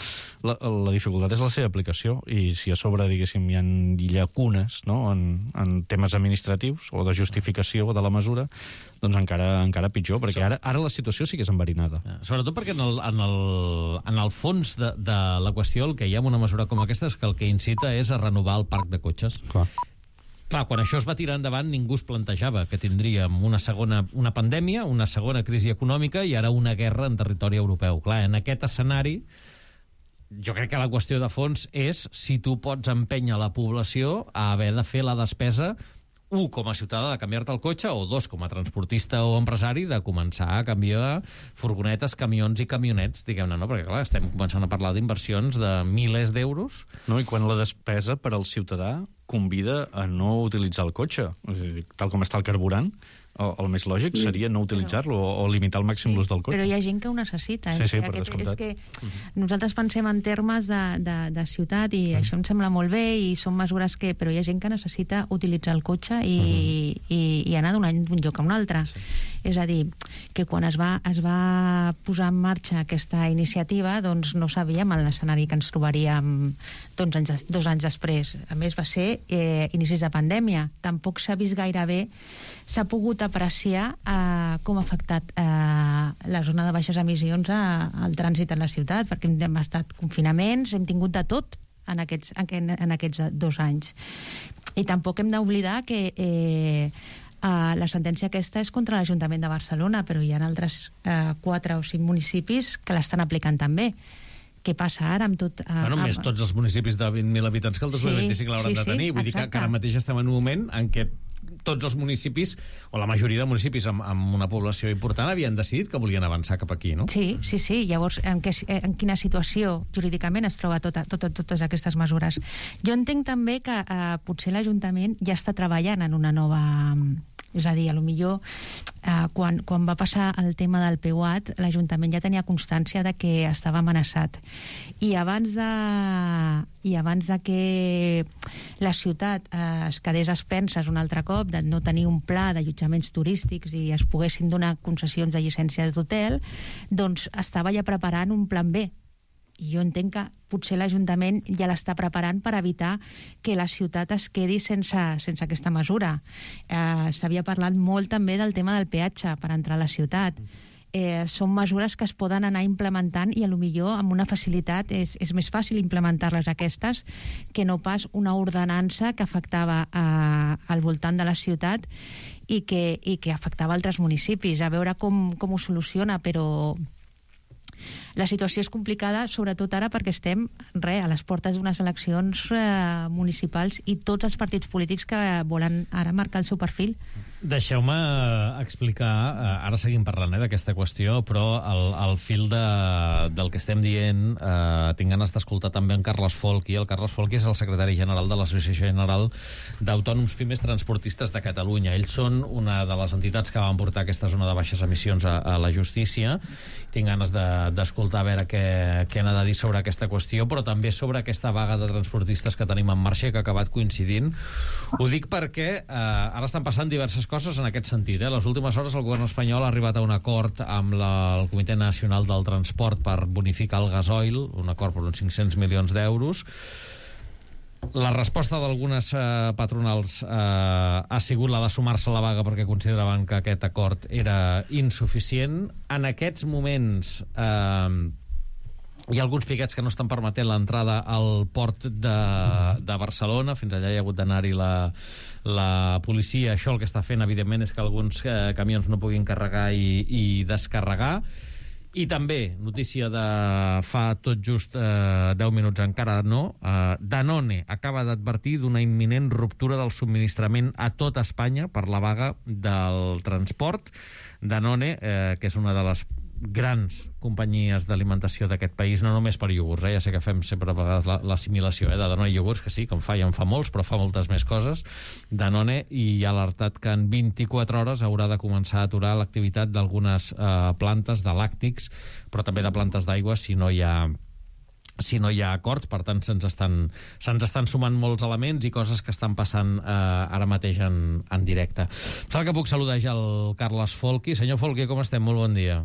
La, la dificultat és la seva aplicació, i si a sobre, diguéssim, hi ha llacunes, no?, en, en temes administratius o de justificació de la mesura, doncs encara, encara pitjor, perquè ara, ara la situació sí que és enverinada. Sobretot perquè en el, en el, en el fons de, de la qüestió el que hi ha en una mesura com aquesta és que el que incita és a renovar el parc de cotxes. Clar. Clar, quan això es va tirar endavant ningú es plantejava que tindríem una segona una pandèmia, una segona crisi econòmica i ara una guerra en territori europeu. Clar, en aquest escenari jo crec que la qüestió de fons és si tu pots empènyer la població a haver de fer la despesa, un, com a ciutadà de canviar-te el cotxe, o dos, com a transportista o empresari, de començar a canviar furgonetes, camions i camionets, diguem-ne, no? Perquè, clar, estem començant a parlar d'inversions de milers d'euros. No, i quan la despesa per al ciutadà convida a no utilitzar el cotxe, tal com està el carburant, el més lògic seria no utilitzar-lo o, o limitar al màxim sí, l'ús del cotxe. Però hi ha gent que ho necessita. Sí, sí, eh? per Aquest, descomptat. És que uh-huh. nosaltres pensem en termes de, de, de ciutat i uh-huh. això em sembla molt bé i són mesures que... Però hi ha gent que necessita utilitzar el cotxe i, uh-huh. i, i anar d'un lloc a un altre. Sí. És a dir, que quan es va, es va posar en marxa aquesta iniciativa, doncs no sabíem l'escenari que ens trobaríem dos anys, dos anys després. A més, va ser eh, inicis de pandèmia. Tampoc s'ha vist gaire bé, s'ha pogut apreciar eh, com ha afectat eh, la zona de baixes emissions a, al trànsit en la ciutat, perquè hem estat confinaments, hem tingut de tot en aquests, en, en aquests dos anys. I tampoc hem d'oblidar que eh, Uh, la sentència aquesta és contra l'Ajuntament de Barcelona, però hi ha altres uh, quatre o cinc municipis que l'estan aplicant també. Què passa ara amb tot... Uh, bueno, amb... més tots els municipis de vint mil habitants que el dos mil vint-i-cinc sí, l'hauran sí, de tenir. Vull sí, dir que, que ara mateix estem en un moment en què tots els municipis, o la majoria de municipis amb, amb una població important, havien decidit que volien avançar cap aquí, no? Sí, sí, sí. Llavors, en, què, en quina situació jurídicament es troba tota, tota, totes aquestes mesures? Jo entenc també que eh, potser l'Ajuntament ja està treballant en una nova... És a dir, a lo millor eh, quan, quan va passar el tema del P U A T, l'Ajuntament ja tenia constància de que estava amenaçat. I abans de, i abans de que la ciutat eh, es quedés a expenses un altre cop, de no tenir un pla d'allotjaments turístics i es poguessin donar concessions de llicència d'hotel, doncs estava ja preparant un plan B. I jo entenc que potser l'Ajuntament ja l'està preparant per evitar que la ciutat es quedi sense, sense aquesta mesura. Eh, S'havia parlat molt també del tema del peatge per entrar a la ciutat. Eh, són mesures que es poden anar implementant i potser amb una facilitat és, és més fàcil implementar-les aquestes que no pas una ordenança que afectava eh, al voltant de la ciutat i que, i que afectava altres municipis. A veure com, com ho soluciona, però... La situació és complicada, sobretot ara perquè estem re, a les portes d'unes eleccions eh, municipals i tots els partits polítics que volen ara marcar el seu perfil. Deixeu-me explicar, ara seguim parlant eh, d'aquesta qüestió, però el, el fil de, del que estem dient, eh, tinc ganes d'escoltar també en Carles Folchi. El Carles Folchi és el secretari general de l'Associació General d'Autònoms Pimes Transportistes de Catalunya. Ells són una de les entitats que van portar aquesta zona de baixes emissions a, a la justícia. Tinc ganes de, d'escoltar a veure què, què han de dir sobre aquesta qüestió, però també sobre aquesta vaga de transportistes que tenim en marxa i que ha acabat coincidint. Ho dic perquè eh, ara estan passant diverses coses en aquest sentit. Eh? A les últimes hores el govern espanyol ha arribat a un acord amb la, el Comitè Nacional del Transport per bonificar el gasoil, un acord per uns cinc-cents milions d'euros. La resposta d'algunes eh, patronals eh, ha sigut la de sumar-se a la vaga perquè consideraven que aquest acord era insuficient. En aquests moments eh, hi ha alguns piquets que no estan permetent l'entrada al port de, de Barcelona. Fins allà hi ha hagut d'anar-hi la, la policia. Això el que està fent, evidentment, és que alguns eh, camions no puguin carregar i, i descarregar. I també, notícia de fa tot just eh, deu minuts, encara no, eh, Danone acaba d'advertir d'una imminent ruptura del subministrament a tot Espanya per la vaga del transport. Danone, eh, que és una de les grans companyies d'alimentació d'aquest país, no només per iogurts, eh? Ja sé que fem sempre a vegades l'assimilació eh? de Danone i iogurts, que sí, que en fa i en fa molts, però fa moltes més coses. Danone, i ha alertat que en vint-i-quatre hores haurà de començar a aturar l'activitat d'algunes eh, plantes de làctics, però també de plantes d'aigua si no hi ha si no hi ha acords. Per tant, se'ns estan, se'ns estan sumant molts elements i coses que estan passant eh, ara mateix en, en directe. Em sembla que puc saludar ja el Carles Folchi. Senyor Folchi, com estem? Molt bon dia.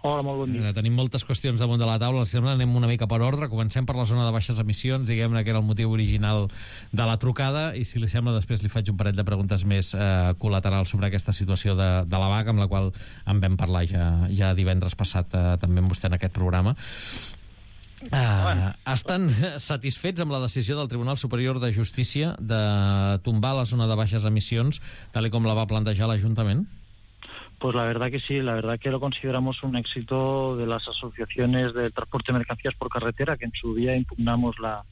Hola, molt bon dia. Tenim moltes qüestions damunt de la taula, si sembla anem una mica per ordre. Comencem per la zona de baixes emissions, diguem-ne que era el motiu original de la trucada, i si li sembla després li faig un parell de preguntes més eh, col·laterals sobre aquesta situació de, de la vaga, amb la qual en vam parlar ja, ja divendres passat eh, també amb vostè en aquest programa. Uh, estan satisfets amb la decisió del Tribunal Superior de Justícia de tombar la zona de baixes emissions, tal com la va plantejar l'Ajuntament? Pues la verdad que sí, la verdad que lo consideramos un éxito de las asociaciones de transporte de mercancías por carretera, que en su día impugnamos la,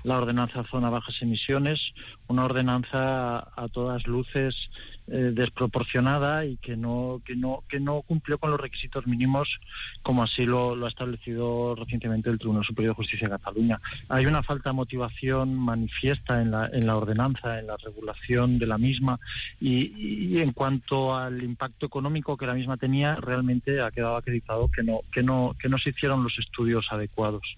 la ordenanza zona bajas emisiones, una ordenanza a, a todas luces eh, desproporcionada y que no, que, no, que no cumplió con los requisitos mínimos como así lo, lo ha establecido recientemente el Tribunal Superior de Justicia de Cataluña. Hay una falta de motivación manifiesta en la, en la ordenanza, en la regulación de la misma y, y en cuanto al impacto económico que la misma tenía, realmente ha quedado acreditado que no, que no, que no se hicieron los estudios adecuados.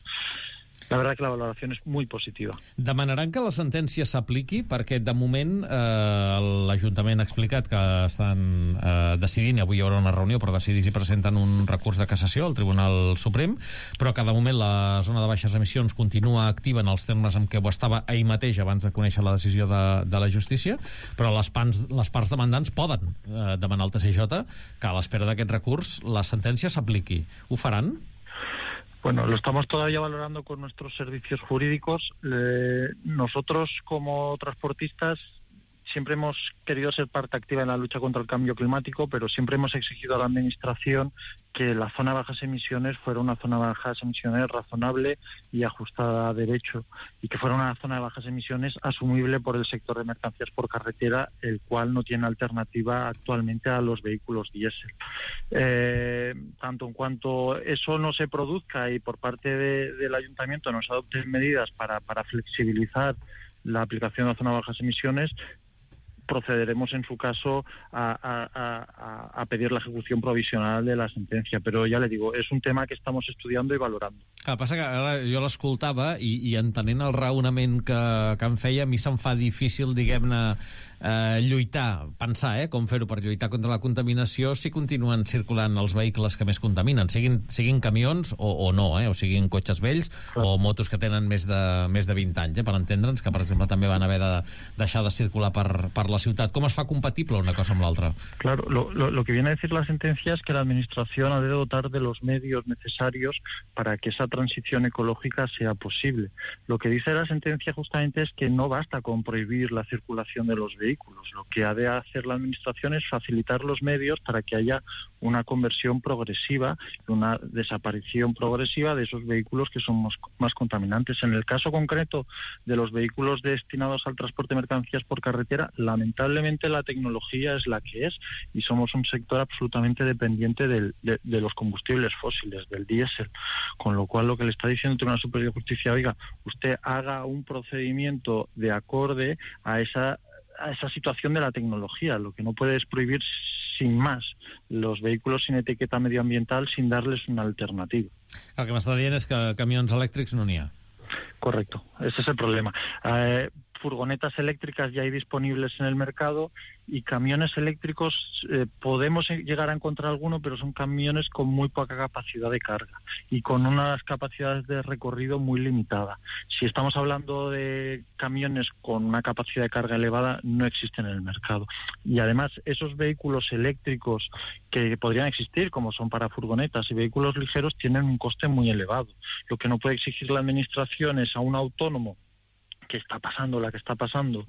La verdad que la valoración es muy positiva. Demanaran que la sentència s'apliqui perquè de moment eh, l'Ajuntament ha explicat que estan eh, decidint, i avui hi haurà una reunió per decidir si presenten un recurs de cassació al Tribunal Suprem, però que de moment la zona de baixes emissions continua activa en els termes en què ho estava ahir mateix abans de conèixer la decisió de, de la justícia, però les, pans, les parts demandants poden eh, demanar al T C J que a l'espera d'aquest recurs la sentència s'apliqui. Ho faran? Bueno, lo estamos todavía valorando con nuestros servicios jurídicos. Eh, nosotros, como transportistas, siempre hemos querido ser parte activa en la lucha contra el cambio climático, pero siempre hemos exigido a la Administración que la zona de bajas emisiones fuera una zona de bajas emisiones razonable y ajustada a derecho, y que fuera una zona de bajas emisiones asumible por el sector de mercancías por carretera, el cual no tiene alternativa actualmente a los vehículos diésel. Eh, tanto en cuanto eso no se produzca y por parte de, del Ayuntamiento nos adopten medidas para, para flexibilizar la aplicación de la zona de bajas emisiones, procederemos en su caso a, a, a, a pedir la ejecución provisional de la sentencia, però ja le digo, és un tema que estamos estudiando i valorando. El que passa que ara jo l'escoltava i, i entenent el raonament que, que em feia, a mi se'm fa difícil, diguem-ne, eh, lluitar, pensar eh, com fer-ho per lluitar contra la contaminació si continuen circulant els vehicles que més contaminen, siguin, siguin camions o, o no, eh, o siguin cotxes vells Clar. o motos que tenen més de, més de vint anys, eh, per entendre'ns, que per exemple també van haver de deixar de circular per, per la ciutat. ¿Cómo es fa compatible una cosa con la otra? Claro, lo, lo, lo que viene a decir la sentencia es que la Administración ha de dotar de los medios necesarios para que esa transición ecológica sea posible. Lo que dice la sentencia justamente es que no basta con prohibir la circulación de los vehículos. Lo que ha de hacer la Administración es facilitar los medios para que haya una conversión progresiva, una desaparición progresiva de esos vehículos que son más, más contaminantes. En el caso concreto de los vehículos destinados al transporte de mercancías por carretera, lamentablemente la tecnología es la que es y somos un sector absolutamente dependiente del, de, de los combustibles fósiles, del diésel, con lo cual lo que le está diciendo el Tribunal Superior de Justicia, oiga, usted haga un procedimiento de acorde a esa a esa situación de la tecnología. Lo que no puede es prohibir sin más los vehículos sin etiqueta medioambiental sin darles una alternativa. El que m'està dient és que camions elèctrics no n'hi ha. Correcto, ese es el problema. Eh, furgonetas eléctricas ya hay disponibles en el mercado y camiones eléctricos eh, podemos llegar a encontrar alguno, pero son camiones con muy poca capacidad de carga y con unas capacidades de recorrido muy limitadas. Si estamos hablando de camiones con una capacidad de carga elevada, no existen en el mercado. Y además, esos vehículos eléctricos que podrían existir, como son para furgonetas y vehículos ligeros, tienen un coste muy elevado. Lo que no puede exigir la Administración es a un autónomo que está pasando, la que está pasando,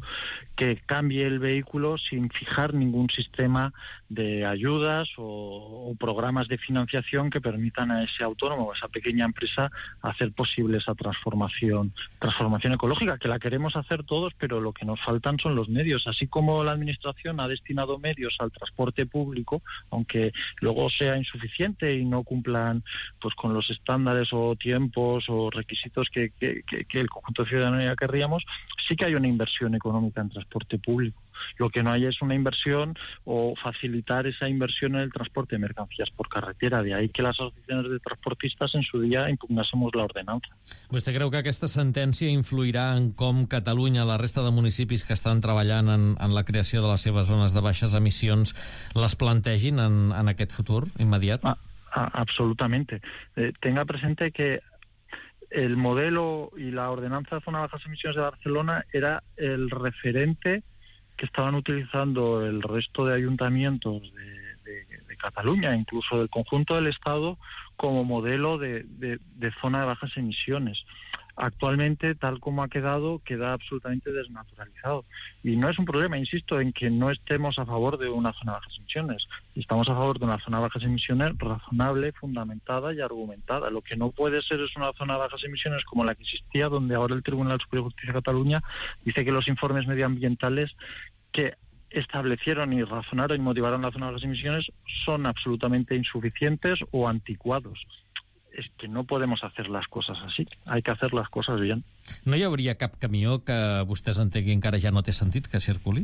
que cambie el vehículo sin fijar ningún sistema de ayudas o, o programas de financiación que permitan a ese autónomo o a esa pequeña empresa hacer posible esa transformación, transformación ecológica, que la queremos hacer todos, pero lo que nos faltan son los medios. Así como la Administración ha destinado medios al transporte público, aunque luego sea insuficiente y no cumplan pues con los estándares o tiempos o requisitos que, que, que, que el conjunto de ciudadanía querríamos, sí que hay una inversión económica en transporte público. Lo que no hay es una inversión o facilitar esa inversión en el transporte de mercancías por carretera. De ahí que las asociaciones de transportistas en su día impugnásemos la ordenanza. Vostè creu que aquesta sentència influirà en com Catalunya, la resta de municipis que estan treballant en, en la creació de les seves zones de baixes emissions, les plantegin en, en aquest futur immediat? Ah. A, absolutamente. Eh, tenga presente que el modelo y la ordenanza de zona de bajas emisiones de Barcelona era el referente que estaban utilizando el resto de ayuntamientos de, de, de Cataluña, incluso del conjunto del Estado, como modelo de, de, de zona de bajas emisiones. Actualmente, tal como ha quedado, queda absolutamente desnaturalizado. Y no es un problema, insisto, en que no estemos a favor de una zona de bajas emisiones. Estamos a favor de una zona de bajas emisiones razonable, fundamentada y argumentada. Lo que no puede ser es una zona de bajas emisiones como la que existía, donde ahora el Tribunal Superior de Justicia de Cataluña dice que los informes medioambientales que establecieron y razonaron y motivaron la zona de bajas emisiones son absolutamente insuficientes o anticuados. És que no podem hacer les coses així. Hay que hacer les coses bien. No hi hauria cap camió que vostès entenguin que ara ja no té sentit que circuli?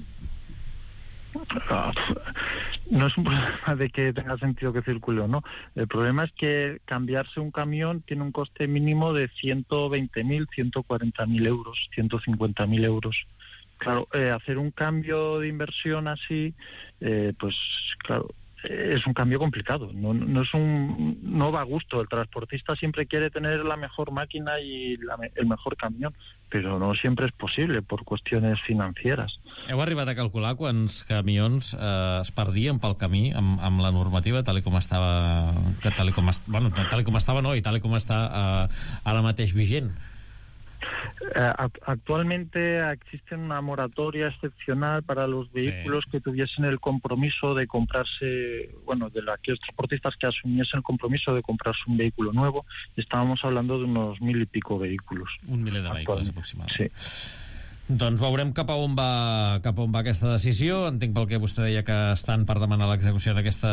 No es un problema de que tenga sentido que circule o no. El problema es que cambiarse un camión tiene un coste mínimo de ciento veinte mil, ciento cuarenta mil euros, ciento cincuenta mil euros. Claro, eh, hacer un cambio de inversión así, eh, pues claro, es un cambio complicado, no, no es un no va a gusto. El transportista siempre quiere tener la mejor máquina y la, el mejor camión, però no sempre és possible per qüestions financeres. Heu arribat a calcular quants camions eh, es perdien pel camí amb, amb la normativa tal com estava, que tal com est, bueno, tal com estava no, i tal com està eh, ara mateix vigent? Eh, actualmente existe una moratoria excepcional para los vehículos sí. que tuviesen el compromiso de comprarse, bueno, de aquellos transportistas que asumiesen el compromiso de comprarse un vehículo nuevo. Estábamos hablando de unos mil y pico vehículos. Un miler de vehicles aproximadament. Sí. Doncs veurem cap a on va cap a on va aquesta decisió. Entenc pel que vostè deia que estan per demanar l'execució d'aquesta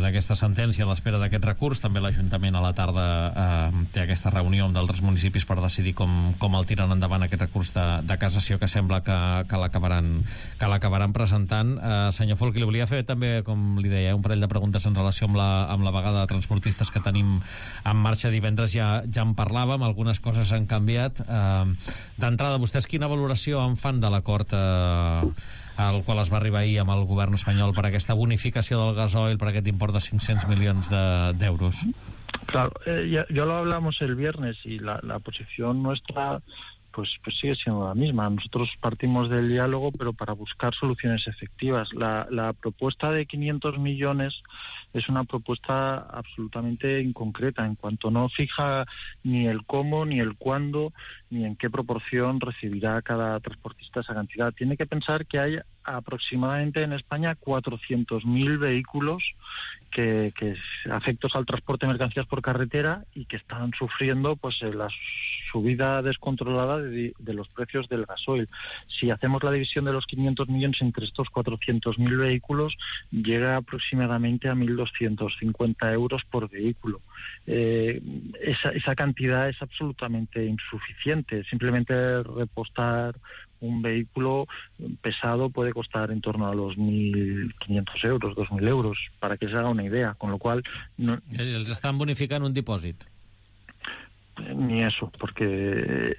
d'aquesta sentència a l'espera d'aquest recurs. També l'Ajuntament a la tarda eh, té aquesta reunió amb d'altres municipis per decidir com, com el tiren endavant aquest recurs de, de cassació, que sembla que, que l'acabaran que l'acabaran presentant. Eh, senyor Folch, li volia fer també, com li deia, un parell de preguntes en relació amb la, amb la vaga de transportistes que tenim en marxa divendres. Ja, ja en parlàvem, algunes coses han canviat. Eh, D'entrada, vostès quina valoració en fan de l'acord eh, al qual es va arribar ahir amb el govern espanyol per aquesta bonificació del gasoil, per aquest import de cinc-cents milions d'euros? Claro, eh, ya, ya lo hablamos el viernes y la, la posición nuestra pues, pues sigue siendo la misma. Nosotros partimos del diálogo, pero para buscar soluciones efectivas. La, la propuesta de quinientos millones es una propuesta absolutamente inconcreta, en cuanto no fija ni el cómo, ni el cuándo, ni en qué proporción recibirá cada transportista esa cantidad. Tiene que pensar que hay aproximadamente en España cuatrocientos mil vehículos que, que afectos al transporte de mercancías por carretera y que están sufriendo pues la subida descontrolada de, de los precios del gasoil. Si hacemos la división de los quinientos millones entre estos cuatrocientos mil vehículos, llega aproximadamente a mil doscientos cincuenta euros por vehículo. Eh, esa, esa cantidad es absolutamente insuficiente. Simplemente repostar un vehículo pesado puede costar en torno a los mil quinientos euros, dos mil euros, para que se haga una idea, con lo cual... No... Els estan bonificant un dipòsit? Ni eso, porque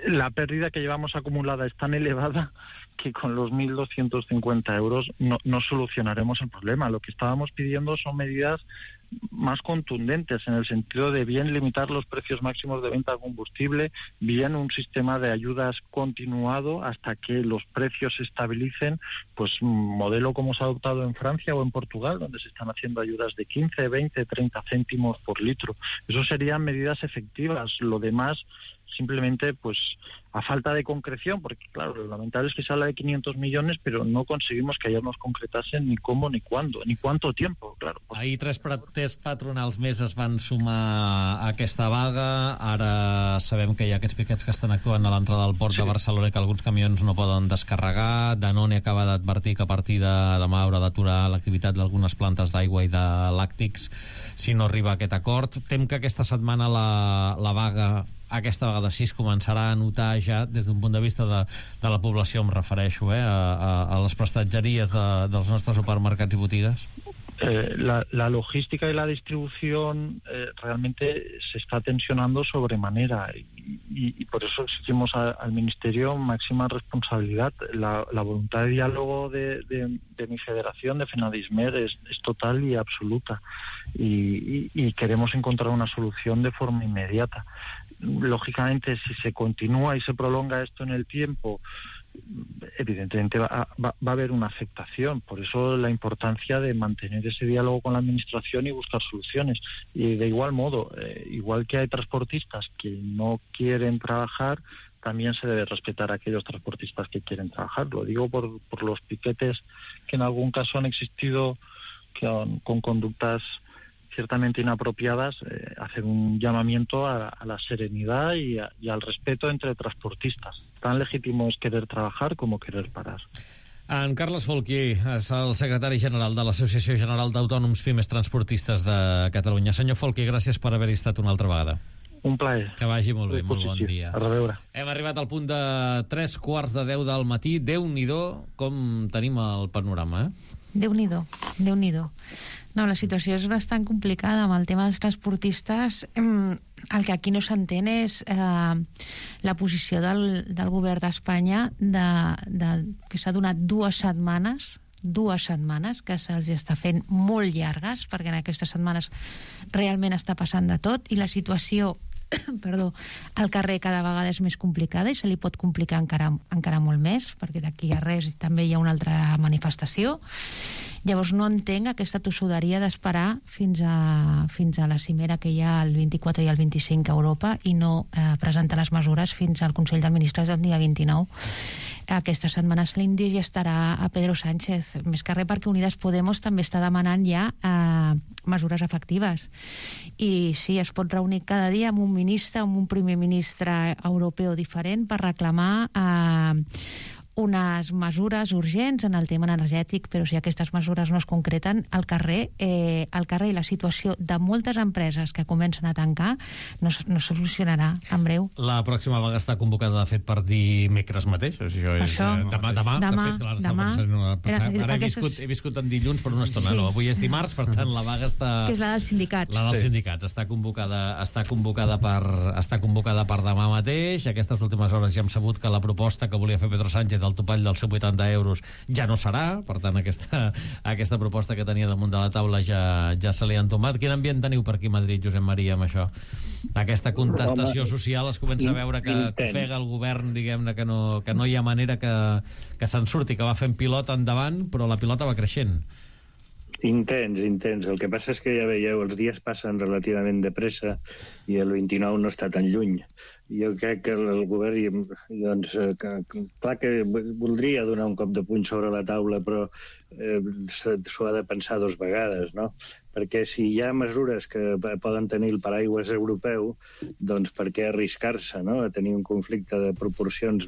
la pérdida que llevamos acumulada es tan elevada que con los mil doscientos cincuenta euros no, no solucionaremos el problema. Lo que estábamos pidiendo son medidas más contundentes, en el sentido de bien limitar los precios máximos de venta de combustible, bien un sistema de ayudas continuado hasta que los precios se estabilicen, pues un modelo como se ha adoptado en Francia o en Portugal, donde se están haciendo ayudas de quince, veinte, treinta céntimos por litro. Eso serían medidas efectivas. Lo demás, simplemente, pues a falta de concreción, porque claro, lo lamentable es que se habla de quinientos millones, pero no conseguimos que ayer nos concretasen ni cómo, ni cuándo, ni cuánto tiempo, claro. Pues... Ahir tres, tres patronals més es van sumar a aquesta vaga. Ara sabem que hi ha aquests piquets que estan actuant a l'entrada del port sí. de Barcelona, que alguns camions no poden descarregar. Danone acaba d'advertir que a partir de demà haurà d'aturar l'activitat d'algunes plantes d'aigua i de làctics si no arriba a aquest acord. Tem que aquesta setmana la, la vaga aquesta vegada sí es començarà a notar ja des d'un punt de vista de, de la població, em refereixo, eh, a, a les prestatgeries de, dels nostres supermercats i botigues? Eh, la, la logística y la distribución eh, realmente se está tensionando sobremanera y, y, y por eso exigimos a, al Ministerio máxima responsabilidad. La, la voluntad de diálogo de, de, de mi federación, de FENADISMER, es, es total y absoluta y, y, y queremos encontrar una solución de forma inmediata. Lógicamente, si se continúa y se prolonga esto en el tiempo, evidentemente va, va, va a haber una afectación. Por eso la importancia de mantener ese diálogo con la administración y buscar soluciones. Y de igual modo, eh, igual que hay transportistas que no quieren trabajar, también se debe respetar a aquellos transportistas que quieren trabajar. Lo digo por, por los piquetes que en algún caso han existido con, con conductas ciertamente inapropiadas, eh, hacer un llamamiento a, a la serenidad y, a, y al respeto entre transportistas. Tan legítimo es querer trabajar como querer parar. En Carles Folchi és el secretari general de l'Associació General d'Autònoms Pimes Transportistes de Catalunya. Senyor Folchi, gràcies per haver-hi estat una altra vegada. Un plaer. Que vagi molt bé, molt bon dia. A reveure. Hem arribat al punt de tres quarts de deu del matí. Déu-n'hi-do com tenim el panorama, eh? Déu-n'hi-do, Déu-n'hi-do. No, la situació és bastant complicada amb el tema dels transportistes. El que aquí no s'entén és eh, la posició del, del govern d'Espanya de, de, que s'ha donat dues setmanes dues setmanes que se'ls està fent molt llargues, perquè en aquestes setmanes realment està passant de tot i la situació perdó, al carrer cada vegada és més complicada i se li pot complicar encara, encara molt més, perquè d'aquí a res també hi ha una altra manifestació. Llavors no entenc aquesta tossuderia d'esperar fins a, fins a la cimera que hi ha el vint-i-quatre i el vint-i-cinc a Europa i no eh, presentar les mesures fins al Consell de Ministres del dia vint-i-nou. Aquesta setmana l'Índia ja estarà a Pedro Sánchez, més que res perquè Unides Podemos també està demanant ja eh, mesures efectives. I sí, es pot reunir cada dia amb un ministre, amb un primer ministre europeu diferent per reclamar eh, unes mesures urgents en el tema energètic, però si aquestes mesures no es concreten, al carrer, eh, al carrer i la situació de moltes empreses que comencen a tancar no, no solucionarà en breu. La pròxima vaga està convocada, de fet, per dimecres mateix. Això és Això, eh, demà, demà, demà, de fet. Ara, demà. Pensant, no, pensant, Era, ara he, aquestes... viscut, he viscut en dilluns per una estona. Sí. No, avui és dimarts, per tant, la vaga està... Que és la dels sindicats. La dels sí. sindicats. Està convocada, està, convocada per, està convocada per demà mateix. Aquestes últimes hores ja hem sabut que la proposta que volia fer Pedro Sánchez del topall dels cent vuitanta euros ja no serà, per tant aquesta, aquesta proposta que tenia damunt de la taula ja, ja se li ha entomat. Quin ambient teniu per aquí a Madrid, Josep Maria, amb això? Aquesta contestació Home, social es comença a veure que, que ofega el govern, diguem-ne, que no, que no hi ha manera que, que se'n surti, que va fent pilota endavant, però la pilota va creixent. Intens, intens. El que passa és que ja veieu, els dies passen relativament de pressa i el vint-i-nou no està tan lluny. Jo crec que el govern, doncs, que, clar que voldria donar un cop de puny sobre la taula, però eh, s'ho ha de pensar dos vegades, no? Perquè si hi ha mesures que poden tenir el paraigües europeu, doncs per què arriscar-se, no?, a tenir un conflicte de proporcions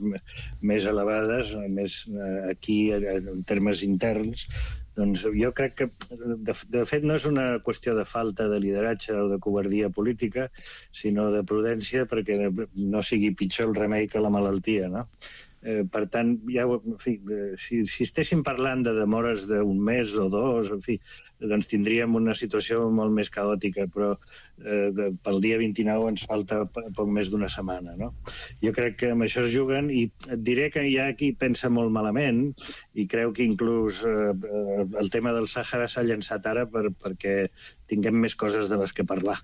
més elevades, més aquí en termes interns. Doncs jo crec que, de, de fet, no és una qüestió de falta de lideratge o de covardia política, sinó de prudència perquè no sigui pitjor el remei que la malaltia, no? Eh, per tant, ja, en fi, si, si estéssim parlant de demores d'un mes o dos, en fi, doncs tindríem una situació molt més caòtica, però eh, de, pel dia vint-i-nou ens falta poc més d'una setmana, no? Jo crec que amb això es juguen i et diré que hi ha qui pensa molt malament i creu que inclús eh, el tema del Sàhara s'ha llançat ara per, perquè tinguem més coses de les que parlar.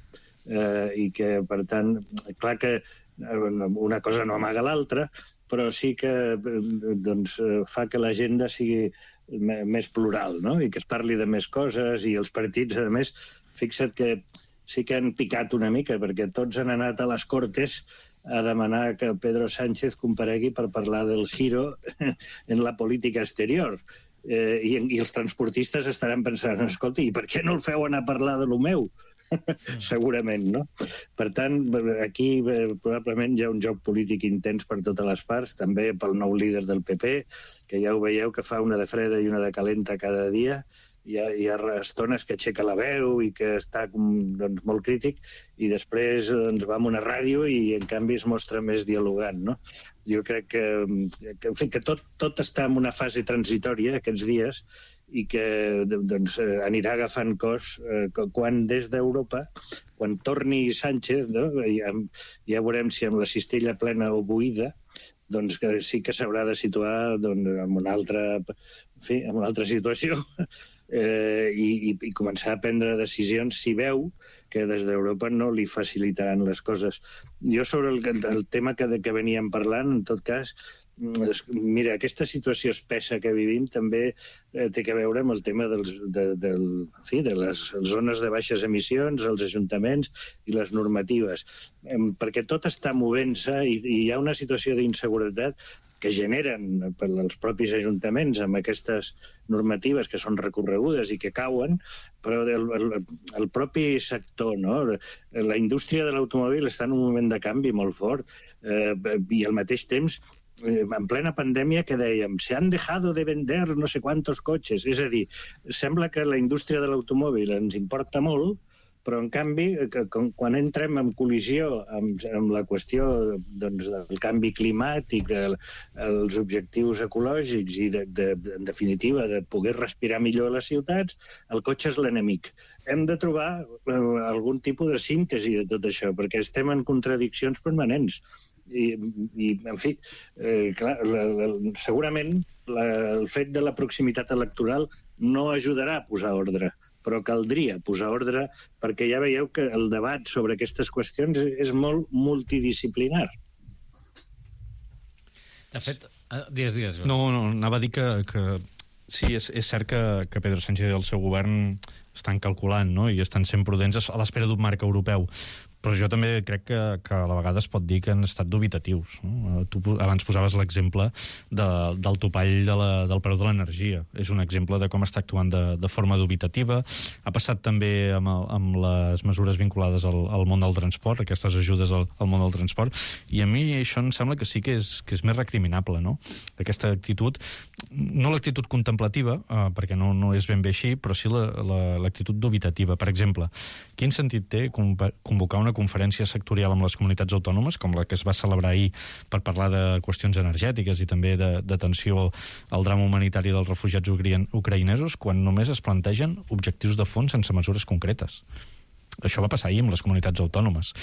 Eh, i que, per tant, clar que una cosa no amaga l'altra, però sí que doncs, fa que l'agenda sigui més plural, no?, i que es parli de més coses, i els partits, a més, fixa't que sí que han picat una mica, perquè tots han anat a les Cortes a demanar que Pedro Sánchez comparegui per parlar del giro en la política exterior. Eh, i, i els transportistes estaran pensant, escolta, i per què no el feu anar a parlar de lo meu? Segurament, no? Per tant, aquí eh, probablement hi ha un joc polític intens per totes les parts, també pel nou líder del P P, que ja ho veieu que fa una de freda i una de calenta cada dia, hi ha, hi ha estones que aixeca la veu i que està doncs, molt crític, i després doncs, va a una ràdio i, en canvi, es mostra més dialogant, no? Jo crec que, que, en fi, que tot, tot està en una fase transitòria aquests dies i que doncs, anirà agafant cos eh, quan des d'Europa, quan torni Sánchez, no? ja, ja veurem si amb la cistella plena o buida, doncs que sí que s'haurà de situar doncs, en, una altra, en, fi, en una altra situació eh, i, i començar a prendre decisions si veu que des d'Europa no li facilitaran les coses. Jo sobre el, el tema que, que veníem parlant, en tot cas, mira, aquesta situació espessa que vivim també eh, té a veure amb el tema dels, de, del, en fi, de les zones de baixes emissions, els ajuntaments i les normatives, eh, perquè tot està movent-se i, i hi ha una situació d'inseguretat que generen per als propis ajuntaments amb aquestes normatives que són recorregudes i que cauen, però el, el, el propi sector, no? La indústria de l'automòbil està en un moment de canvi molt fort eh, i al mateix temps en plena pandèmia que dèiem se han dejado de vender no sé quantos cotxes, és a dir, sembla que la indústria de l'automòbil ens importa molt, però en canvi, que, quan entrem en col·lisió amb, amb la qüestió doncs, del canvi climàtic, el, els objectius ecològics i, de, de, en definitiva, de poder respirar millor a les ciutats, el cotxe és l'enemic. Hem de trobar eh, algun tipus de síntesi de tot això, perquè estem en contradiccions permanents. I, i en fi, eh, clar, la, la, segurament la, el fet de la proximitat electoral no ajudarà a posar ordre, però caldria posar ordre perquè ja veieu que el debat sobre aquestes qüestions és molt multidisciplinar. De fet, digues, digues. No, no, anava a dir que, que sí, és, és cert que, que Pedro Sánchez i el seu govern estan calculant, no?, i estan sent prudents a l'espera d'un marc europeu. Però jo també crec que, que a la vegada es pot dir que han estat dubitatius. No? Tu abans posaves l'exemple de, del topall de la, del preu de l'energia. És un exemple de com està actuant de, de forma dubitativa. Ha passat també amb, el, amb les mesures vinculades al, al món del transport, aquestes ajudes al, al món del transport, i a mi això em sembla que sí que és, que és més recriminable, no? Aquesta actitud, no l'actitud contemplativa, eh, perquè no, no és ben bé així, però sí l'actitud la, la, dubitativa. Per exemple, quin sentit té convocar una conferència sectorial amb les comunitats autònomes, com la que es va celebrar ahir per parlar de qüestions energètiques i també d'atenció al drama humanitari dels refugiats ucraïnesos, quan només es plantegen objectius de fons sense mesures concretes? Això va passar ahir amb les comunitats autònomes.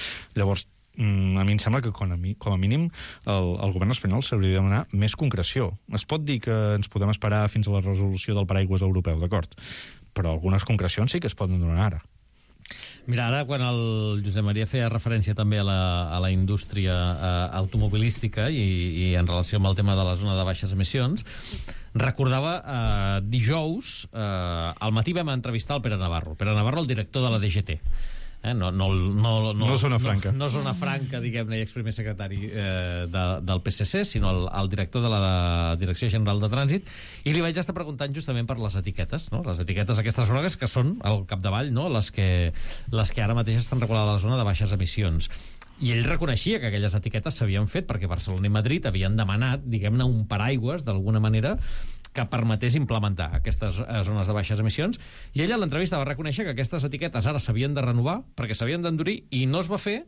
Llavors, a mi em sembla que com a, mi, com a mínim el, el govern espanyol s'hauria de demanar més concreció. Es pot dir que ens podem esperar fins a la resolució del paraigües europeu, d'acord, però algunes concrecions sí que es poden donar ara. Mira, ara quan el Josep Maria feia referència també a la, a la indústria eh, automobilística i, i en relació amb el tema de la zona de baixes emissions, recordava eh, dijous, eh, al matí vam entrevistar el Pere Navarro, Pere Navarro, el director de la D G T. Eh, no, no, no, no, no zona franca, no, no zona franca, diguem-ne, i exprimer secretari eh, de, del P S C, sinó el, el director de la Direcció General de Trànsit, i li vaig estar preguntant justament per les etiquetes, no? Les etiquetes aquestes grogues que són al capdavall, no? les, que, les que ara mateix estan regulades a la zona de baixes emissions. I ell reconeixia que aquelles etiquetes s'havien fet perquè Barcelona i Madrid havien demanat, diguem-ne, un paraigües, d'alguna manera, que permetés implementar aquestes zones de baixes emissions, i ella a l'entrevista va reconèixer que aquestes etiquetes ara s'havien de renovar perquè s'havien d'endurir, i no es va fer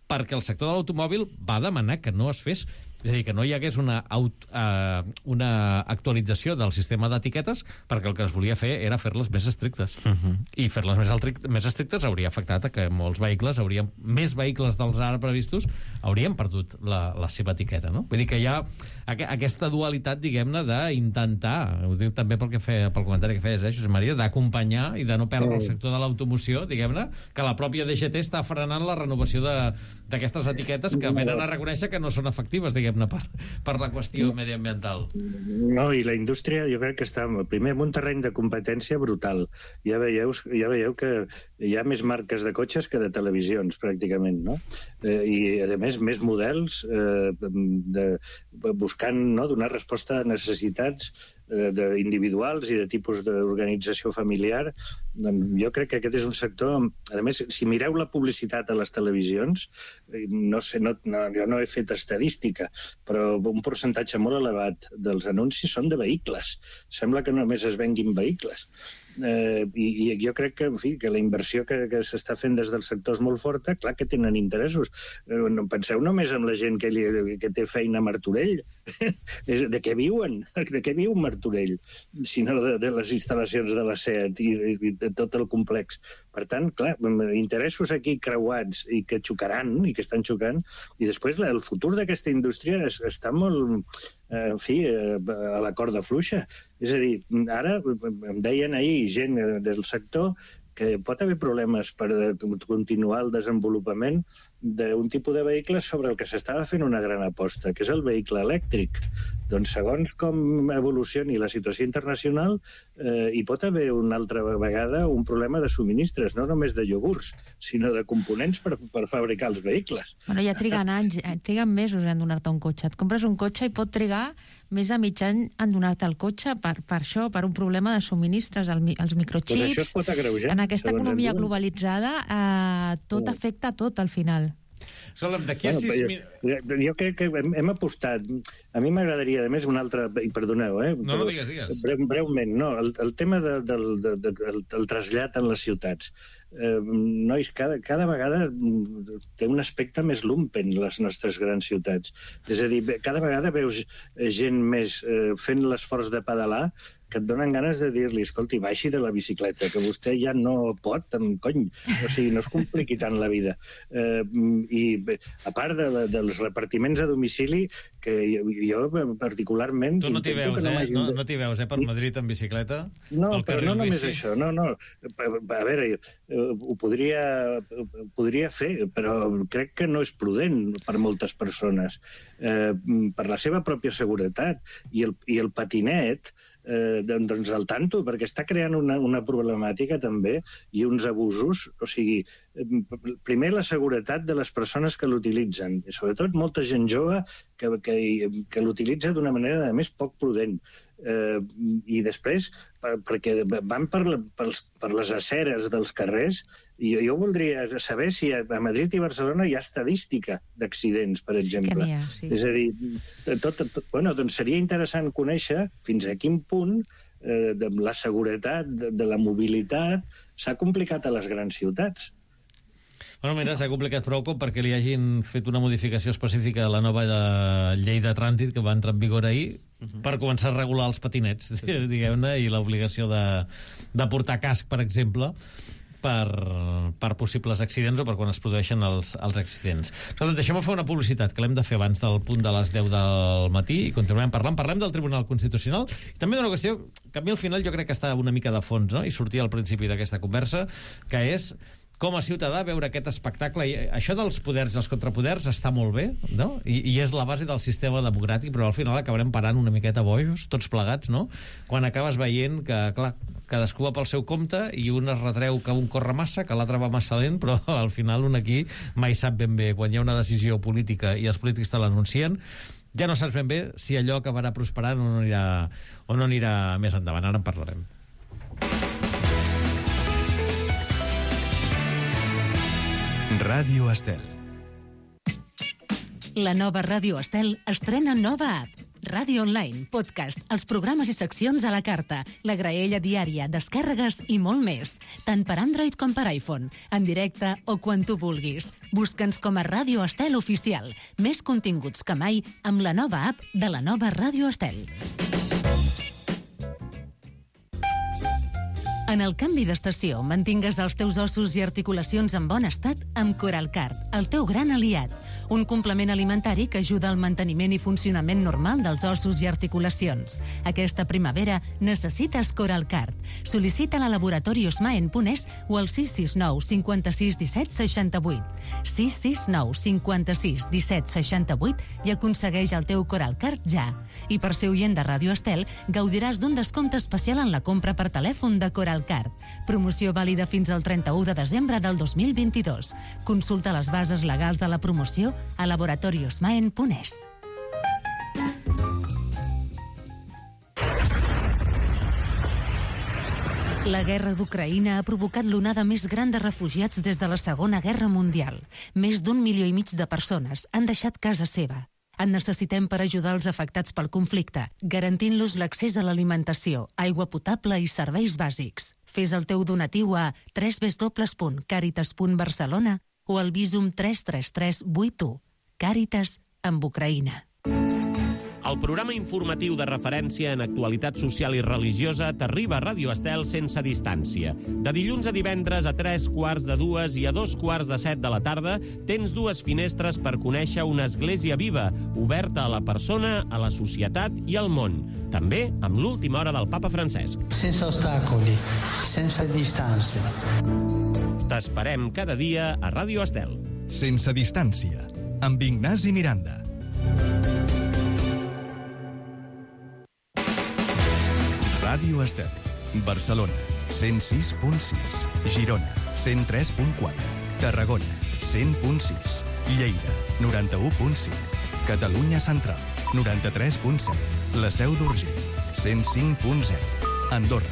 perquè el sector de l'automòbil va demanar que no es fes. És a dir, que no hi hagués una, aut, uh, una actualització del sistema d'etiquetes, perquè el que es volia fer era fer-les més estrictes. Uh-huh. I fer-les més, més estrictes hauria afectat a que molts vehicles, haurien, més vehicles dels ara previstos, haurien perdut la, la seva etiqueta. No? Vull dir que hi ha aqu aquesta dualitat, diguem-ne, d'intentar, ho dic també pel, que feia, pel comentari que feies, eh, Josep Maria, d'acompanyar i de no perdre el sector de l'automoció, diguem-ne, que la pròpia D G T està frenant la renovació d'aquestes etiquetes que venen a reconèixer que no són efectives, diguem Per, per la qüestió mediambiental. No, i la indústria jo crec que està primer en un terreny de competència brutal. Ja veieu, ja veieu que hi ha més marques de cotxes que de televisions, pràcticament, no? Eh, I, a més, més models eh, de, buscant no, donar resposta a necessitats d'individuals i de tipus d'organització familiar. Jo crec que aquest és un sector... A més, si mireu la publicitat a les televisions, no sé, no, no, jo no he fet estadística, però un percentatge molt elevat dels anuncis són de vehicles. Sembla que només es venguin vehicles. Eh, i, i jo crec que, en fi, que la inversió que, que s'està fent des del sector és molt forta. Clar que tenen interessos. Eh, no, penseu només en la gent que, li, que té feina a Martorell. De què viuen? De què viu Martorell? Sinó de, de les instal·lacions de la SEAT i, i de tot el complex. Per tant, clar, interessos aquí creuats i que xocaran, i que estan xocant, i després el futur d'aquesta indústria es, està molt, eh, en fi, eh, a la corda fluixa. És a dir, ara em deien ahir gent del sector que pot haver problemes per continuar el desenvolupament d'un tipus de vehicles sobre el que s'estava fent una gran aposta, que és el vehicle elèctric. Doncs segons com evolucioni la situació internacional, eh, hi pot haver una altra vegada un problema de subministres, no només de iogurts, sinó de components per, per fabricar els vehicles. Bueno, ja triguen anys, triguen mesos en donar-te un cotxe. Et compres un cotxe i pot trigar més de mig any en donar-te el cotxe per, per això, per un problema de subministres, el, els microchips. Però això es pot agreujar. En aquesta economia globalitzada, eh, tot afecta a tot al final. Escolta'm, d'aquí a bueno, sis... Jo, jo, jo crec que hem, hem apostat... A mi m'agradaria, a més, una altra... I perdoneu, eh? No, no, digues, digues. Breu, breument, no. El, el tema de, del, de, de, del, del trasllat en les ciutats. Eh, nois, cada, cada vegada té un aspecte més lumpen les nostres grans ciutats. És a dir, cada vegada veus gent més eh, fent l'esforç de pedalar que et donen ganes de dir-li, escolti, baixi de la bicicleta, que vostè ja no pot, amb cony, o sigui, no es compliqui tant la vida. Eh, I a part de, de, dels repartiments a domicili, que jo particularment... Tu no t'hi veus, no eh? No, no t'hi veus, eh, per Madrid en bicicleta? No, però no només bici. Això, no, no. A veure, ho podria, ho podria fer, però crec que no és prudent per moltes persones. Eh, per la seva pròpia seguretat. I el, i el patinet, eh, doncs al tanto, perquè està creant una, una problemàtica també i uns abusos. O sigui, primer la seguretat de les persones que l'utilitzen, i sobretot molta gent jove que, que, que l'utilitza d'una manera, a més, poc prudent. Eh, i després, per, perquè van per, per, per les aceres dels carrers, i jo, jo voldria saber si a Madrid i Barcelona hi ha estadística d'accidents, per exemple. Ha, sí. És a dir, tot, tot, bueno, doncs seria interessant conèixer fins a quin punt eh, de la seguretat, de, de la mobilitat, s'ha complicat a les grans ciutats. Bueno, mira, s'ha complicat prou com perquè li hagin fet una modificació específica a la nova de llei de trànsit que va entrar en vigor ahir uh -huh. per començar a regular els patinets, diguem-ne, i l'obligació de, de portar casc, per exemple, per, per possibles accidents o per quan es produeixen els, els accidents. Escolta, deixem-me fer una publicitat que l'hem de fer abans del punt de les deu del matí i continuem parlant. Parlem del Tribunal Constitucional i també d'una qüestió que a mi al final jo crec que està una mica de fons, no? I sortia al principi d'aquesta conversa, que és com a ciutadà veure aquest espectacle. I això dels poders i els contrapoders està molt bé, no? I, i és la base del sistema democràtic, però al final acabarem parant una miqueta bojos, tots plegats, no? Quan acabes veient que, clar, cadascú va pel seu compte i un es retreu que un corre massa, que l'altre va massa lent, però al final un aquí mai sap ben bé. Quan hi ha una decisió política i els polítics te l'anuncien, ja no saps ben bé si allò acabarà prosperant o no anirà, o no anirà més endavant. Ara en parlarem. Ràdio Estel. La nova Ràdio Estel estrena nova app. Ràdio Online, podcast, els programes i seccions a la carta, la graella diària, descàrregues i molt més. Tant per Android com per iPhone, en directe o quan tu vulguis. Busca'ns com a Ràdio Estel Oficial. Més continguts que mai amb la nova app de la nova Ràdio Estel. En el canvi d'estació, mantingues els teus ossos i articulacions en bon estat amb Coralcard, el teu gran aliat. Un complement alimentari que ajuda al manteniment i funcionament normal dels ossos i articulacions. Aquesta primavera necessites Coralcard. Sol·licita-la a laboratori osmaen punt es o al sis sis nou cinquanta-sis disset seixanta-vuit. sis sis nou cinquanta-sis disset seixanta-vuit i aconsegueix el teu Coralcard ja. I per ser oient de Ràdio Estel, gaudiràs d'un descompte especial en la compra per telèfon de Coralcard. Promoció vàlida fins al trenta-u de desembre del dos mil vint-i-dos. Consulta les bases legals de la promoció a laboratori osmaen punt es. La guerra d'Ucraïna ha provocat l'onada més gran de refugiats des de la Segona Guerra Mundial. Més d'un milió i mig de persones han deixat casa seva. En necessitem per ajudar els afectats pel conflicte, garantint-los l'accés a l'alimentació, aigua potable i serveis bàsics. Fes el teu donatiu a w w w punt caritas punt barcelona o al Visum tres tres tres vuit u. Càritas amb Ucraïna. El programa informatiu de referència en actualitat social i religiosa t'arriba a Ràdio Estel sense distància. De dilluns a divendres a tres quarts de dues i a dos quarts de set de la tarda tens dues finestres per conèixer una església viva, oberta a la persona, a la societat i al món. També amb l'última hora del papa Francesc. Sense ostacoli, sense distància. T'esperem cada dia a Ràdio Estel. Sense distància, amb Ignasi Miranda. Ràdio Estel, Barcelona, cent sis punt sis, Girona, cent tres punt quatre, Tarragona, cent punt sis, Lleida, noranta-u punt cinc, Catalunya Central, noranta-tres punt set, La Seu d'Urgell, cent cinc punt zero, Andorra,